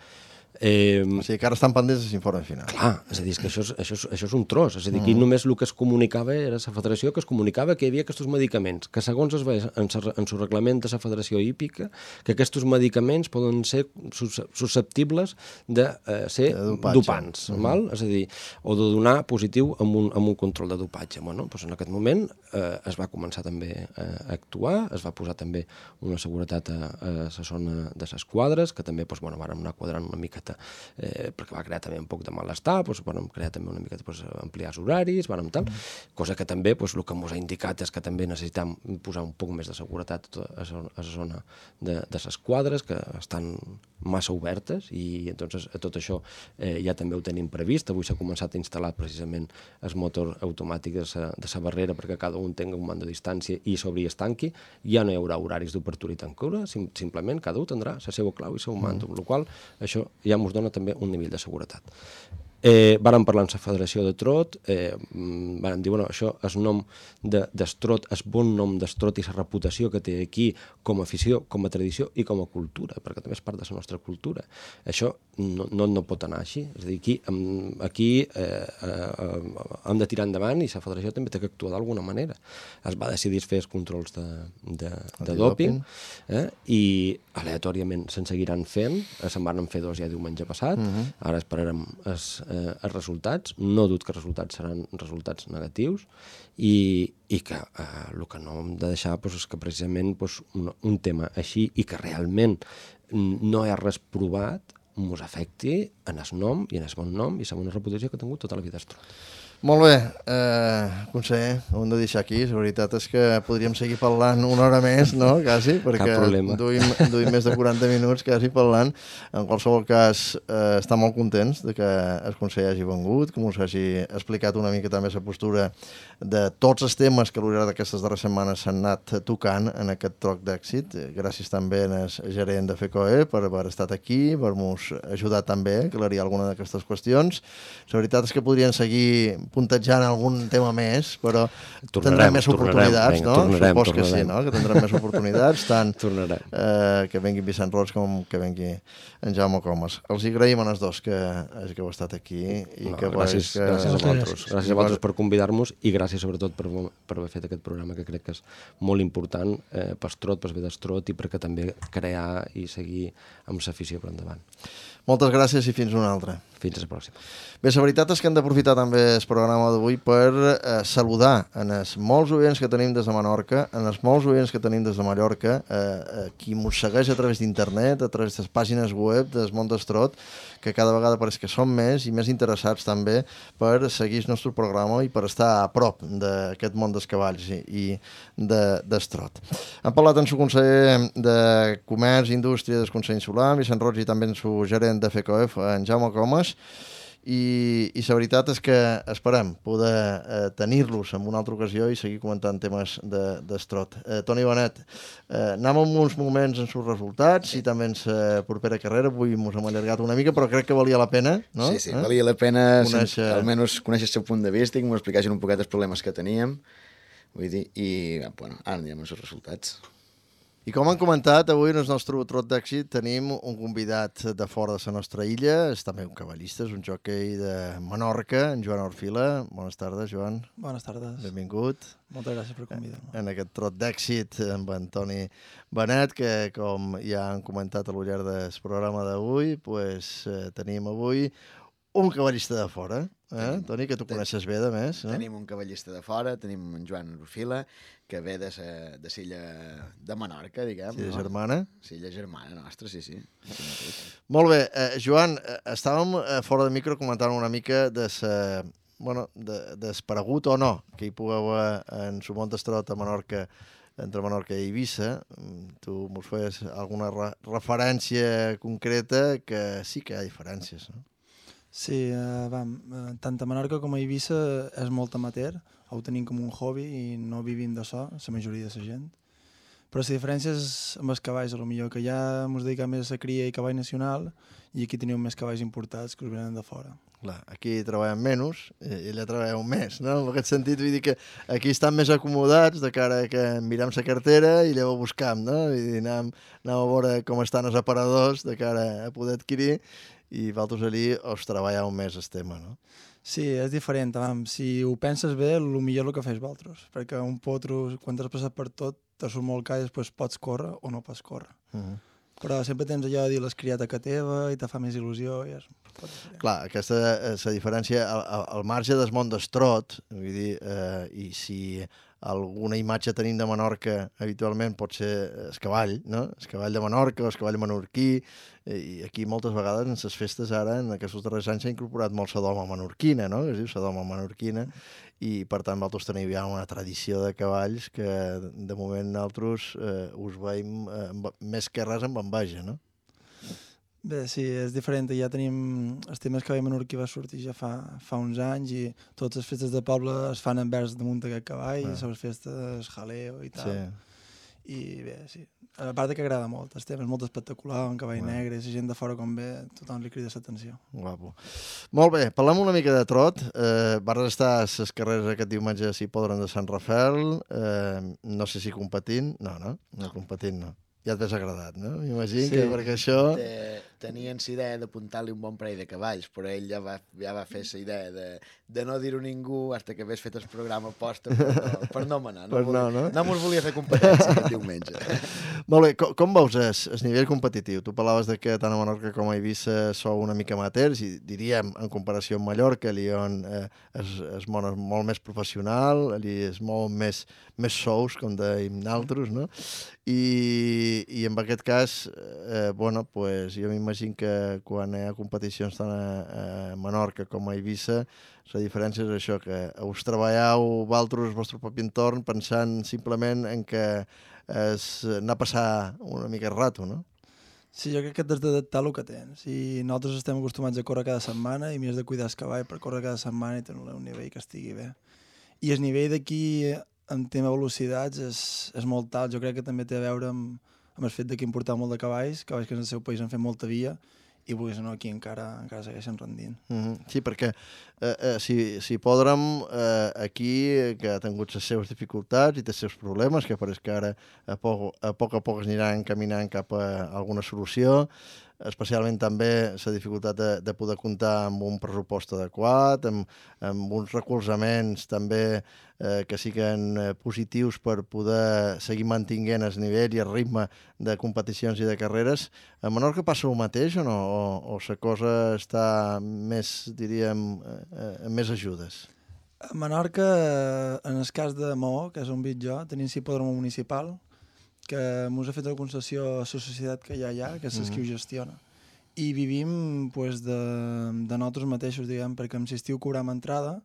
Eh, o sigui que ara estan pendents de l'informe final. Clar, és a dir, és que això és, això és, això és un tros, és a dir, aquí mm. només el que es comunicava era la federació que es comunicava que hi havia aquests medicaments, que segons es veia en el reglament de la Federació Hípica, que aquests medicaments poden ser susceptibles de eh, ser de dopants, mm. val? És a dir, o de donar positiu amb un, amb un control de dopatge. Bueno, doncs en aquest moment eh, es va començar també a actuar, es va posar també una seguretat a, a la zona de les quadres, que també doncs, bueno, vàrem anar quadrant una mica Eh, perquè va crear també un poc de malestar, doncs, vam crear també una mica doncs, ampliar els horaris, vam tal, mm. cosa que també doncs, el que ens ha indicat és que també necessitem posar un poc més de seguretat a la zona de, de les quadres, que estan massa obertes, i entonces tot això eh, ja també ho tenim previst. Avui s'ha començat a instal·lar precisament el motor automàtic de la, de la barrera perquè cada un tingui un mando de distància i s'obri i es tanqui. Ja no hi haurà horaris d'obertura i tancura, sim, simplement cada un tindrà la seva clau i el seu mando, amb la qual això ja ens dona també un nivell de seguretat. Eh, vàrem parlar amb la Federació de Trot, eh, vàrem dir, bueno, això és nom d'Estrot, és bon nom d'Estrot i la reputació que té aquí com a afició, com a tradició i com a cultura, perquè també és part de la nostra cultura. Això no, no, no pot anar així. És a dir, aquí, aquí eh, eh, hem de tirar endavant i la Federació també té que actuar d'alguna manera. Es va decidir fer els controls de, de, de doping, eh, i aleatòriament se'n seguiran fent, se'n van fer dos ja diumenge passat, uh-huh. Ara esperarem els Eh, els resultats, no dubto que els resultats seran resultats negatius i, i que eh, el que no hem de deixar doncs, és que precisament doncs, un, un tema així i que realment no hi ha res provat ens afecti en el nom i en el bon nom i la bona reputació que ha tingut tota la vida Estrot. Molt bé, eh, conseller, ho hem de deixar aquí. La veritat és que podríem seguir parlant una hora més, no?, quasi, perquè duim, duim més de quaranta minuts quasi parlant. En qualsevol cas, eh, estem molt contents de que el conseller hagi vengut, que ens hagi explicat una mica també la postura de tots els temes que a l'hora d'aquestes darreres setmanes s'han anat tocant en aquest troc d'èxit. Gràcies també al gerent de FECOE per haver estat aquí, per nos ajudar també a aclarir alguna d'aquestes qüestions. La veritat és que podrien seguir puntejant algun tema més, però tornarem, tindrem més tornarem, oportunitats, vinga, no? tornarem, Supos que tornarem. sí, no? Que tindrem més oportunitats, tant eh, que vengui Vicent Roig com que vengui en Jaume Comas. Els hi agraïm a els dos que, que heu estat aquí. I no, que, gràcies, que... gràcies a vosaltres. Gràcies. Gràcies a vosaltres per convidar-nos i gràcies sobretot per, per haver fet aquest programa que crec que és molt important eh, per Estrot, per Vedestrot i perquè també crear i seguir amb l'afició per endavant. Moltes gràcies i fins una altra. Fins a la pròxima. Bé, la veritat és que hem d'aprofitar també el programa d'avui per eh, saludar en els molts oients que tenim des de Menorca, en els molts oients que tenim des de Mallorca, eh, eh, qui mos segueix a través d'internet, a través de les pàgines web del Món d'Estrot, que cada vegada pareix que són més i més interessats també per seguir el nostre programa i per estar a prop d'aquest món dels cavalls i, i d'Estrot. Hem parlat amb el conseller de Comerç i Indústria del Consell Insular, Vicent Roig, i també amb el gerent de FECOEF, en Jaume Comas, i, i la veritat és que esperem poder eh, tenir-los en una altra ocasió i seguir comentant temes d'Estrot. De, eh, Toni Bonet, eh, anem amb uns moments en els resultats i també en la propera carrera. Avui ens hem allargat una mica, però crec que valia la pena, no? Sí, sí, eh? valia la pena Conèixer... almenys conèixer el seu punt de vista i que m'ho expliquessin un poquet els problemes que teníem. Vull dir, i bueno, ara anirem amb els resultats. I com han comentat, avui en el nostre trot d'èxit tenim un convidat de fora de la nostra illa, és també un cavallista, és un jockey de Menorca, en Joan Orfila. Bones tardes, Joan. Bones tardes. Benvingut. Moltes gràcies per convidar-me. En aquest trot d'èxit amb en Toni Benet, que com ja han comentat a lo llarg del programa d'avui, pues, eh, tenim avui un cavallista de fora, eh? Tenim, Toni, que tu coneixes bé, de més. Eh? Tenim un cavallista de fora, tenim en Joan Orfila, que ve de la de l'illa de Menorca, diguem. Sí, de no? germana. Sí, la germana nostra, sí, sí. Molt bé. Eh, Joan, eh, estàvem eh, fora de micro comentant una mica de sa, bueno, de, d'esparegut o no que hi pugueu haver en el món d'Estrot a Menorca, entre Menorca i Eivissa. Tu mos fes alguna re referència concreta, que sí que hi ha diferències, no? Sí, eh, vam, eh, tant a Menorca com a Eivissa és molt amateur, ho tenim com un hobby i no vivim de so, la majoria de la gent. Però la diferència és amb els cavalls, a lo millor, que ja ens dediquem més a cria i cavall nacional i aquí teniu més cavalls importats que us venen de fora. Clar, aquí treballem menys i allà treballeu més, no? En aquest sentit, vull dir que aquí estan més acomodats de cara a que mirem la cartera i llavors buscam, no? Vull dir, anem, anem a veure com estan els aparadors de cara a poder adquirir i vosaltres allí us treballeu més el tema, no? Sí, és diferent. Vam. Si ho penses bé, el millor és el que fes vosaltres, perquè un potro, quan t'has passat per tot, te surt molt car i després pots córrer o no pots córrer. Uh -huh. Però sempre tens allò de dir l'has criat a casa teva i te fa més il·lusió i és pot diferent. Clar, aquesta és la diferència al, al, al marge del món d'Estrot, vull dir, eh, i si alguna imatge tenim de Menorca habitualment pot ser el cavall, no? El cavall de Menorca o el cavall menorquí, i aquí moltes vegades en les festes ara, en aquests darrers anys, s'ha incorporat molt la doma menorquina, no? Que es diu la doma menorquina, i per tant vosaltres teniu ja una tradició de cavalls que de moment nosaltres eh, us veiem eh, més que res amb enveja, no? Bé, sí, és diferent. Ja tenim... El tema del cavall menorquí va sortir ja fa, fa uns anys i totes les festes de poble es fan envers damunt d'aquest cavall, ah. les festes, jaleo i tal. Sí. I bé, sí. A part que agrada molt, el tema és molt espectacular, un cavall ah. negre, la gent de fora com ve, tothom li crida l'atenció. Guapo. Molt bé, parlem una mica de trot. Eh, vas estar a les carreres aquest diumenge, si podran, de Sant Rafael. Eh, no sé si competint. No, no, no competint, no. Ja et ves agradat, no? M'imagino sí, que perquè això... Te, tenien la idea d'apuntar-li un bon parell de cavalls, però ell ja va, ja va fer la idea de, de no dir-ho a ningú fins que hagués fet el programa posta per no, per no manar. No, per volia, no, no? No mos volia fer competència aquest diumenge. Molt bé, com, com veus el, el nivell competitiu? Tu parlaves de que tant a Menorca com a Eivissa sou una mica amateurs, i diríem, en comparació amb Mallorca, allí on eh, és, és molt, molt més professional, allí és molt més, més sous, com dèiem nosaltres, no? I, i en aquest cas, eh, bueno, pues, jo m'imagino que quan hi ha competicions tant a, a Menorca com a Eivissa, la diferència és això, que us treballeu vosaltres el vostre propi entorn pensant simplement en que és anar a passar una mica el rato, no? Sí, jo crec que t'has d'adaptar el que tens. I nosaltres estem acostumats a córrer cada setmana i m'hi has de cuidar el cavall per córrer cada setmana i tenir un nivell que estigui bé. I el nivell d'aquí en tema de velocitats és, és molt alt. Jo crec que també té a veure amb, amb el fet que importar molt de cavalls, cavalls que en el seu país han fet molta via i vulguis o no, aquí encara, encara segueixen rendint. Mm-hmm. Sí, perquè eh, eh, si, si Hipòdrom eh, aquí, que ha tingut les seves dificultats i els seus problemes, que pareix que ara a poc a poc, a poc es aniran caminant cap a alguna solució, especialment també la dificultat de, de poder comptar amb un pressupost adequat, amb, amb uns recolzaments també eh, que siguin eh, positius per poder seguir mantinguent el nivell i el ritme de competicions i de carreres. A Menorca passa el mateix o no? O, o la cosa està més, diríem, eh, amb més ajudes? A Menorca, en el cas de Maó, que és on vic jo, tenim l'hipòdrom municipal, que ens ha fet la concessió a la societat que hi ha allà, que és mm-hmm. qui ho gestiona. I vivim pues, de, de nosaltres mateixos, diguem, perquè amb l'estiu cobrem entrada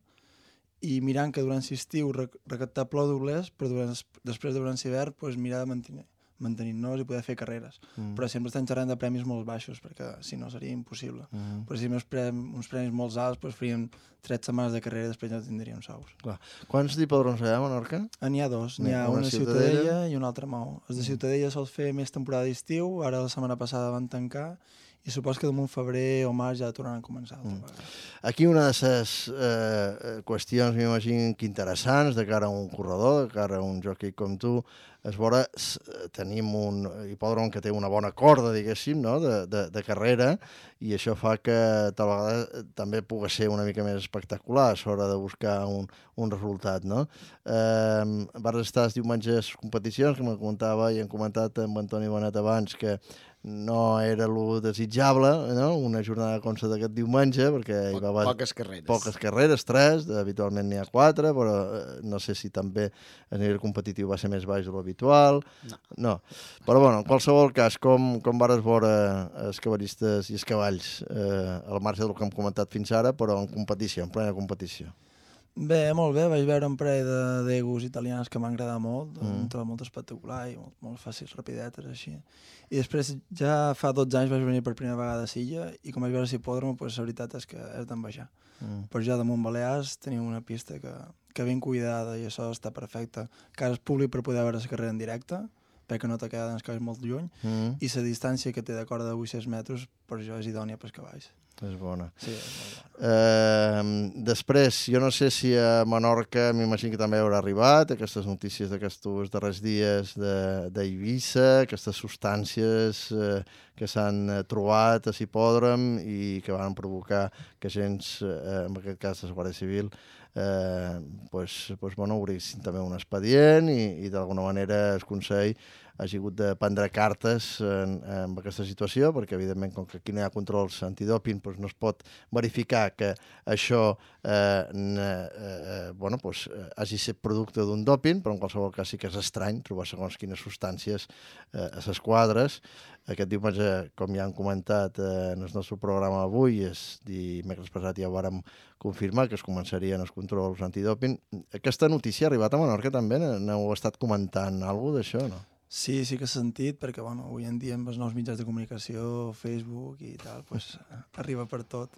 i mirant que durant l'estiu recaptar plou doblers, però durant, després de durant l'hivern pues, mirar de mantenir mantenir-nos i poder fer carreres. Mm. Però sempre estem xerrant de premis molt baixos, perquè si no seria impossible. Mm. Però si uns premis, uns premis molt alts, doncs faríem tres setmanes de carrera i després ja tindríem sous. Clar. Quants hipòdroms hi ha a Menorca? N'hi ha dos. N'hi ha una, una Ciutadella, Ciutadella i una altra Maó. Els de Ciutadella sols fer més temporada d'estiu, ara la setmana passada van tancar, i supos que damunt febrer o març ja tornaran a començar. Mm. Aquí una de les eh, qüestions, m'imagino, que interessants de cara a un corredor, de cara a un jockey com tu, és veure, tenim un hipòdrom que té una bona corda, diguéssim, no? de, de, de carrera, i això fa que tal vegada també pugui ser una mica més espectacular a l'hora de buscar un, un resultat. No? Eh, vas estar els diumenges competicions, que me comentava i hem comentat amb Antoni Bonet abans, que no era lo desitjable, no? Una jornada com la d'aquest diumenge, perquè hi va haver poques carreres. Poques carreres, tres, habitualment n'hi ha quatre, però eh, no sé si també a nivell competitiu va ser més baix de l'habitual. No. no. Però bueno, en qualsevol cas, com, com vares veure els cavallistes i els cavalls eh, al marge del que hem comentat fins ara, però en competició, en plena competició? Bé, molt bé, vaig veure un parell de d'egos italians que m'han agradat molt, mm. un trobo molt espectacular i molt, molt fàcils, rapidetes, així. I després, ja fa dotze anys vaig venir per primera vegada a Silla i com vaig veure l'hipòdrom, pues, la veritat és que és d'envejar. Mm. Però ja damunt Balears tenim una pista que, que ben cuidada i això està perfecte. Que ara és públic per poder veure la carrera en directe, perquè no t'ha quedat els cavalls molt lluny, mm. i la distància que té de corda de vuit-cents metres, per això és idònia pels cavalls. És bona. Sí, és molt bona. Eh, després, jo no sé si a Menorca, m'imagino que també haurà arribat aquestes notícies d'aquests darrers dies d'Eivissa, aquestes substàncies eh, que s'han trobat a l'hipòdrom i que van provocar que agents, eh, en aquest cas la Guàrdia Civil, eh, pues, pues, bueno, obrissin també un expedient i, i d'alguna manera el Consell hagi hagut de prendre cartes en, en aquesta situació, perquè evidentment com que aquí no hi ha controls antidòping doncs no es pot verificar que això eh, eh, bueno, doncs, hagi estat producte d'un dòping, però en qualsevol cas sí que és estrany trobar segons quines substàncies eh, a les quadres. Aquest diumenge, com ja han comentat eh, en el nostre programa avui, és dimecres passat ja ho vàrem confirmar que es començarien els controls antidòping. Aquesta notícia ha arribat a Menorca també? N'heu estat comentant alguna cosa d'això, no? Sí, sí que s'ha sentit, perquè bueno, avui en dia amb els nous mitjans de comunicació, Facebook i tal, pues, arriba per tot.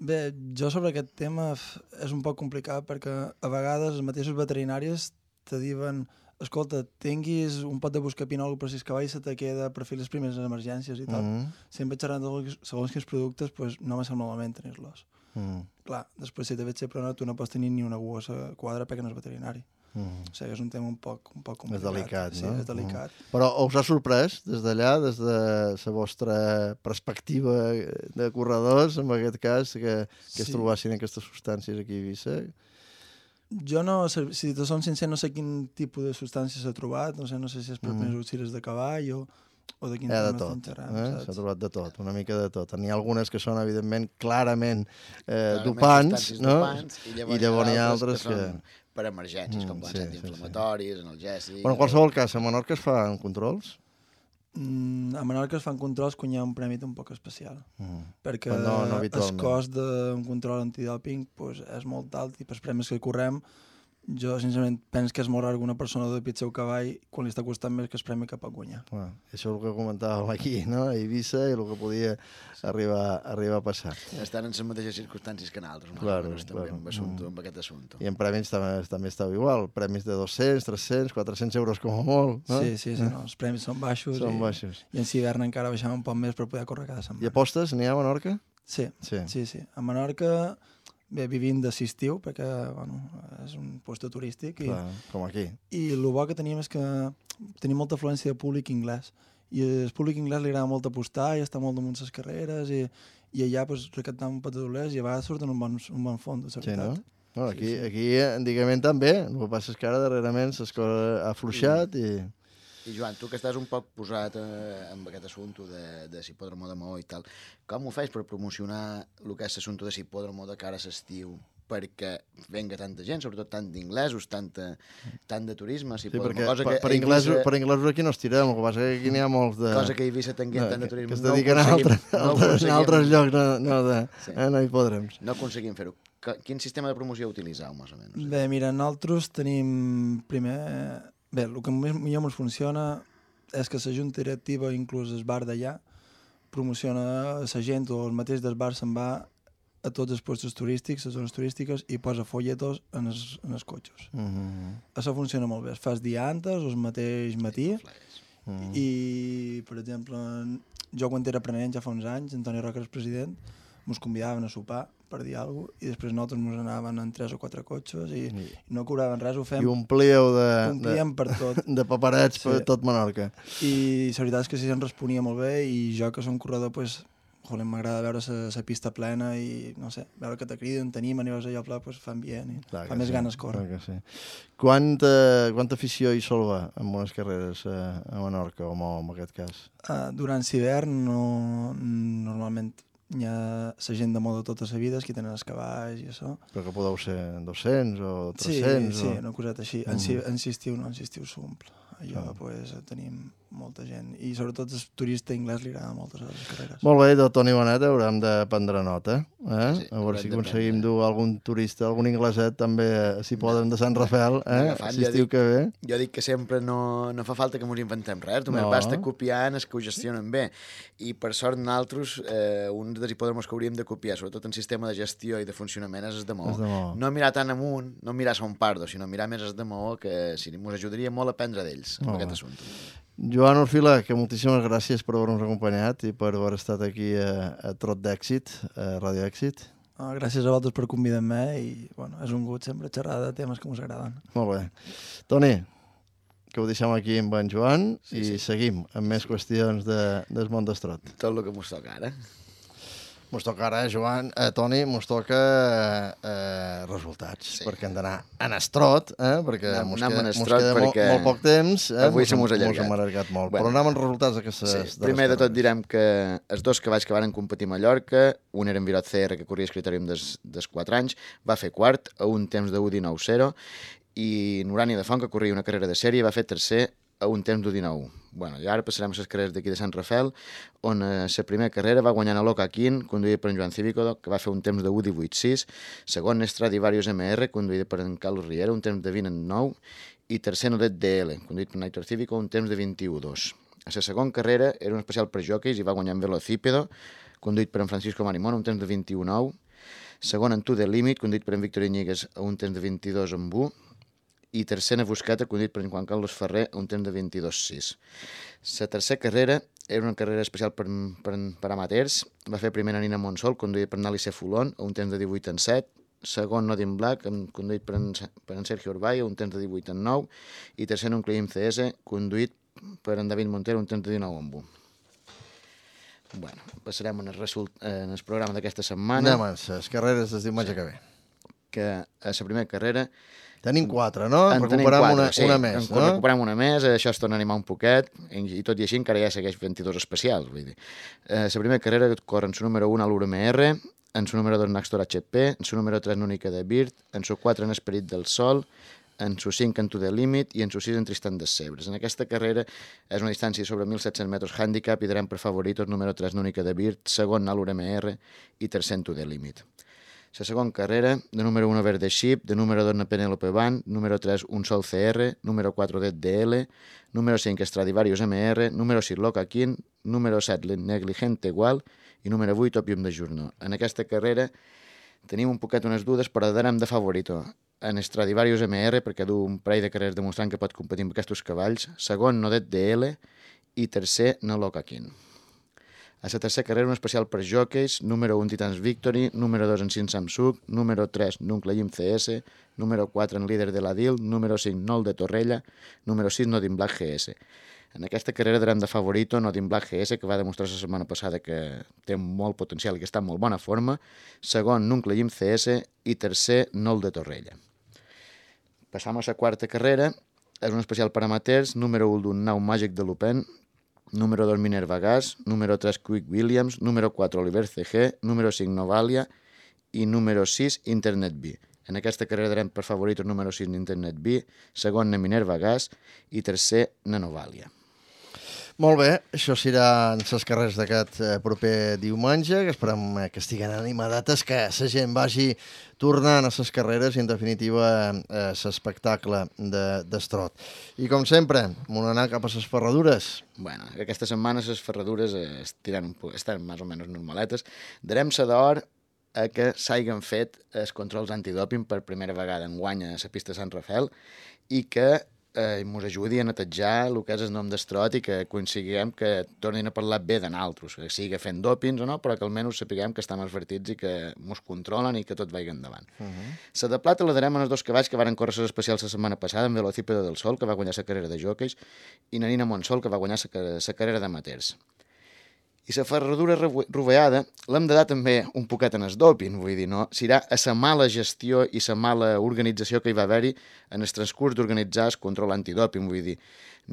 Bé, jo sobre aquest tema és un poc complicat perquè a vegades els mateixos veterinaris te diuen escolta, tinguis un pot de buscapinol per si el cavall se te queda per fer les primeres emergències i tal. Mm-hmm. Sempre xerrant de segons quins productes, pues, no me sembla malament tenir-los. Mm. Clar, després si te veig ser pronat, tu no pots tenir ni una gossa quadra perquè no és veterinari. Mm. O sigui, és un tema un poc, un poc complicat. És delicat, sí, no? És delicat. Mm. Però us ha sorprès des d'allà, des de la vostra perspectiva de corredors, en aquest cas, que, que es sí. trobassin aquestes substàncies aquí a Eivissa? Jo no, si te som sincer, no sé quin tipus de substàncies s'ha trobat, no sé, no sé si és per mm. més utils de cavall o, o de quin eh, tema de tot, estem xerrant. Eh? S'ha trobat de tot, una mica de tot. N'hi ha algunes que són, evidentment, clarament eh, dopants, no? dopants, i llavors, I llavors hi ha altres que... que... són per emergències, com poden ser antiinflamatoris, analgèsics... Però en qualsevol cas, a Menorca es fan controls? Mm, a Menorca es fan controls quan hi ha un prèmit un poc especial, mm. perquè no, no el cost d'un control antidòping pues, és molt alt i pels premis que correm jo, sincerament, penso que és molt rar que una persona dopi el seu cavall quan li està costant més que es premi cap a guanyar. Bueno, això és el que comentàvem aquí, no? A Eivissa, i el que podia arribar, arribar a passar. Estan en les mateixes circumstàncies que nosaltres, Claro, claro, també claro. amb, assumpte, Mm. amb aquest assumpte. I en premis també, també estava igual, premis de dos-cents, tres-cents, quatre-cents euros com a molt, no? Sí, sí, sí, no, els premis són baixos. Són i, baixos. I en hivern encara baixàvem un poc més per poder córrer cada I setmana. apostes n'hi ha a Menorca? Sí, Sí. sí, sí. A Menorca, bé, vivim d'assistiu, perquè bueno, és un lloc turístic, i, Clar, com aquí. i el bo que teníem és que tenim molta afluència de públic anglès. I el públic anglès li agrada molt apostar i està molt damunt les carreres, i, i allà pues, recaptam un patadolers i a vegades surten un bon, un bon fons, de Sí, veritat. no? Bueno, aquí, Sí, sí. aquí antigament també, el que passa és que ara darrerament les coses ha afluixat i... I Joan, tu que estàs un poc posat eh, amb aquest assumpte de, de Hipòdromo de Maó i tal, com ho fas per promocionar el que és l'assumpte de Hipòdromo de cara a l'estiu perquè venga tanta gent, sobretot tant d'inglesos, tanta, tant de turisme, Sí, Hipòdromo, perquè cosa per, que per, a inglesos, Eivissa- per inglesos aquí no estirem, el que passa que aquí n'hi ha molts de... cosa que a Eivissa tinguem no, tant de que, turisme. que es no ho dediquen a aconseguim- altres, no ho altres, en aconseguim- altres llocs, no, no, de, Sí. eh, no hi podrem. No aconseguim fer-ho. Que- Quin sistema de promoció utilitzeu, més o menys? Bé, mira, nosaltres tenim primer... Bé, el que més millor ens funciona és que la junta directiva, inclús el bar d'allà, promociona la gent o el mateix del bar se'n va a tots els puestos turístics, les zones turístiques, i posa folletos en els, en els cotxes. Mm -hmm. Això funciona molt bé. Es fa el dia antes o el mateix matí, Mm. i, per exemple, jo quan era aprenent ja fa uns anys, Antoni Roca era el president, ens convidaven a sopar per dir alguna cosa, i després nosaltres ens anaven en tres o quatre cotxes i, i no cobraven res, ho fem, I omplíeu de, omplíem per tot. de, de paperets Sí. per tot Menorca. I la veritat és que sí, se'n responia molt bé, i jo que som corredor, pues, joder, m'agrada veure la pista plena i, no sé, veure que te criden, t'animen i vas allà al pla, pues, fa ambient i Clar fa que més sí, ganes córrer. clar que sí. Quanta, quanta afició hi sol va en unes carreres a, a Menorca, o Maó, en aquest cas? Uh, durant l'hivern, no, normalment hi ha la gent de moda tota la vida, qui tenen els cavalls i això. Però que podeu ser dos-cents o Sí, tres-cents? sí, o... una coseta així. En, Mm. en estiu no, en estiu s'omple. Allò, Ah. pues, tenim molta gent. I sobretot el turista anglès li agrada moltes de les carreres. Molt bé, de Toni Bonet haurem de prendre nota. Eh? Sí, a veure haurem si de aconseguim prendre. dur algun turista, algun ingleset també, si poden, de Sant Rafael, eh? Agafant, si ja estiu dic- que ve. Jo dic que sempre no, no fa falta que ens inventem res, només No. basta copiar els que ho gestionen bé. I per sort nosaltres, eh, un dels hipòdromos que hauríem de copiar, sobretot en sistema de gestió i de funcionament, és el de Maó. És de Maó. No mirar tan amunt, no mirar Son Pardo, sinó mirar més el de Maó, que sí, ens ajudaria molt a aprendre d'ells, en Molt aquest bé. assumpte. Joan Orfila, que moltíssimes gràcies per haver-nos acompanyat i per haver estat aquí a, a Trot d'Èxit, a Ràdio Èxit. Ah, gràcies a vosaltres per convidar-me i bueno, és un gust sempre xerrar de temes que ens agraden. Molt bé. Toni, que ho deixem aquí amb en Joan Sí, i sí. seguim amb més qüestions de, del món d'estrot. Tot el que mos toca ara. Mos toca ara, Joan, eh, Toni, mos toca eh, resultats, Sí. sí. perquè hem d'anar en estrot, eh, perquè Anem- mos anem queda, en mos estrot queda molt, perquè molt poc temps. Eh? avui se mos ha Mos allargat. hem allargat molt, Bueno. però anem amb resultats d'aquestes... Sí. de les Primer de tot carreres. direm que els dos cavalls que van competir a Mallorca, un era en Virot C R, que corria el critèrium des, des quatre anys, va fer quart a un temps de u dinou zero, i Nurani de Font, que corria una carrera de sèrie, va fer tercer a un temps d'u dinou. Bueno, i ara passarem a les carreres d'aquí de Sant Rafael, on eh, la primera carrera va guanyar a l'Oca Quin, conduïda per en Joan Cívico, que va fer un temps de u divuit sis, segon Stradivarius M R, conduïda per en Carlos Riera, un temps de vint nou, i tercer Nodet D L, conduït per Naitor Cívico, un temps de vint-i-u dos. A la segona carrera era un especial per jockeys i va guanyar en Velocípedo, conduït per en Francisco Marimón, un temps de vint-i-u nou. Segon en To The Limit, conduït per en Víctor Iñiguez, a un temps de vint-i-dos amb u. I tercera Busqueta, conduït per en Juan Carlos Ferrer, a un temps de vint-i-dos sis. La tercera carrera era una carrera especial per, per, per amateurs. Va fer primera Nina Monsol, conduït per Nali Fulón, a un temps de divuit en set. Segon Nodin Black, conduït per en, per en Sergio Urbay, a un temps de divuit en nou. I tercer un Cleim C S, conduït per en David Montero, un temps de dinou en u. Bueno, passarem en el, result, en el programa d'aquesta setmana, Anem a les carreres del diumenge que ve. que a la primera carrera Tenim quatre, no? en tenim Recuperem quatre, una, sí, una més, en, no? recuperem una més, això es torna a animar un poquet, i tot i així encara ja segueix vint-i-dos especials. Vull dir. Eh, la primera carrera corre en su número un a l'U R M R, en su número dos en Naxtor H P, en su número tres en Única de Birt, en su quatre en Esperit del Sol, en su cinc en To The Limit i en su sis en Tristan des Sebres. En aquesta carrera és una distància sobre mil set-cents metres handicap i darem per favoritos número tres en Única de Birt, segon a l'U R M R i tercer en To The Limit. La segona carrera, de número uno Verde Ship, de número dos Penelope Band, número tres Un Sol C R, número cuatro D D L, número cinc Stradivarius M R, número sis Loca King, número set Negligente Gual i número vuit Opium de Journaux. En aquesta carrera tenim un poquet unes dudes, però darem de favorito en Stradivarius M R, perquè du un parell de carreres demostrant que pot competir amb aquests cavalls, segon Nodet D L i tercer No Loca King. A la tercera carrera, un especial per jockeys, número un Titans Victory, número dos en cinc Samsung, número tres Nuncla Jim C S, número quatre en Líder de la D I L, número cinc Nol de Torrella, número sis Nodin Black G S. En aquesta carrera darem de favorito Nodin Black G S, que va demostrar la setmana passada que té molt potencial i que està en molt bona forma, segon Nuncla Jim C S i tercer Nol de Torrella. Passam a la quarta carrera, és un especial per amateurs, número un d'un Nau Màgic de Lupin, número dos Minerva Gas, número tres Quick Williams, número quatre Oliver C G, número cinc Novalia i número sis Internet B. En aquesta carrera darem per favorit el número sis Internet B, segon Minerva Gas i tercer Novalia. Molt bé, això seran les carreres d'aquest proper diumenge, que esperem que estiguen animadates, que la gent vagi tornant a les carreres i, en definitiva, a l'espectacle d'Estrot. I, com sempre, m'ho anar cap a les ferradures. Bueno, aquesta setmana les ferradures estiran un poc, estan més o menys normaletes. Darem sa d'or a que s'hagin fet els controls antidòping per primera vegada enguany a la pista de Sant Rafael i que eh, ens ajudi a netejar el que és el nom d'Estrot i que coincidim que tornin a parlar bé de naltros, que sigui fent dòpings o no, però que almenys sapiguem que estem advertits i que ens controlen i que tot vagi endavant. La uh-huh. de plata la darem en els dos cavalls que varen córrer les especials la setmana passada, en Velocípedo del Sol, que va guanyar la carrera de jockeys, i Nanina Montsol, que va guanyar la carrera d'amateurs. I la ferradura roveada l'hem de dar també un poquet en el doping, vull dir, no? Serà a la mala gestió i la mala organització que hi va haver-hi en el transcurs d'organitzar el control antidòping, vull dir,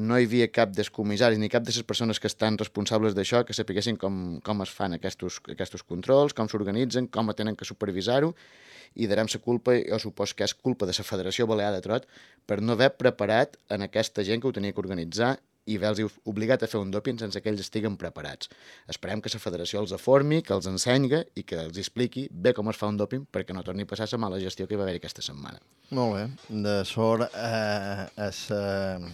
no hi havia cap dels comissaris ni cap de les persones que estan responsables d'això que sapiguessin com, com es fan aquests, aquests controls, com s'organitzen, com tenen que supervisar-ho, i darem la culpa, jo supos que és culpa de la Federació Balear de Trot, per no haver preparat en aquesta gent que ho tenia que organitzar i haver-los obligat a fer un dòping sense que ells estiguen preparats. Esperem que la federació els aformi, que els ensenyi i que els expliqui bé com es fa un dòping perquè no torni a passar la mala gestió que hi va haver aquesta setmana. Molt bé. De sort eh, es, eh,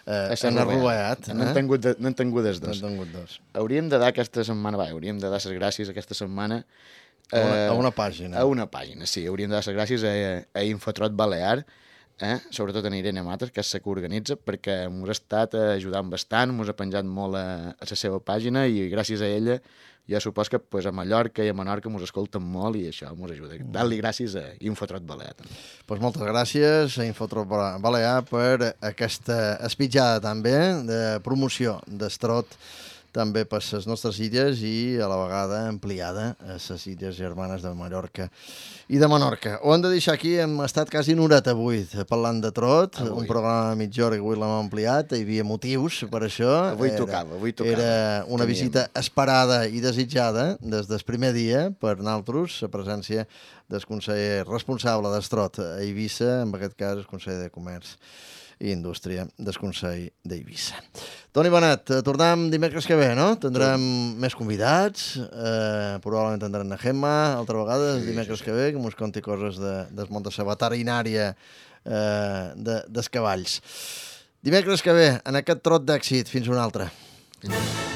eh, en arruat. N'han tingut, de, tingut els dos. N'han tingut dos. Hauríem de dar aquesta setmana, va, hauríem de dar les gràcies aquesta setmana eh, a, una, a una pàgina. A una pàgina, sí. Hauríem de dar les gràcies a, a Infotrot Balear, Eh? sobretot en Irene Mates, que és la que organitza, perquè ens ha estat ajudant bastant, ens ha penjat molt a, a la seva pàgina i gràcies a ella jo supos que pues, a Mallorca i a Menorca ens escolten molt i això ens ajuda. Dar-li gràcies a Infotrot Balear. Pues moltes gràcies a Infotrot Balear per aquesta espitjada també de promoció d'Estrot també per les nostres illes i a la vegada ampliada a les illes germanes de Mallorca i de Menorca. Ho hem de deixar aquí, hem estat quasi una horeta avui parlant de trot, avui. Un programa de mitja hora que avui l'hem ampliat, hi havia motius per això. Avui era, tocava, avui tocava. Era una Teníem. visita esperada i desitjada des del primer dia per nosaltres, la presència del conseller responsable d'Estrot a Eivissa, en aquest cas el conseller de Comerç i Indústria del Consell d'Eivissa. Toni Benet, tornem dimecres que ve, no? Tindrem sí. més convidats, eh, probablement tindrem na Gemma, altra vegada, sí, dimecres sí, sí. que ve, que ens conti coses de, del món de la veterinària eh, de, dels cavalls. Dimecres que ve, en aquest trot d'èxit, fins una altra. Fins una altra.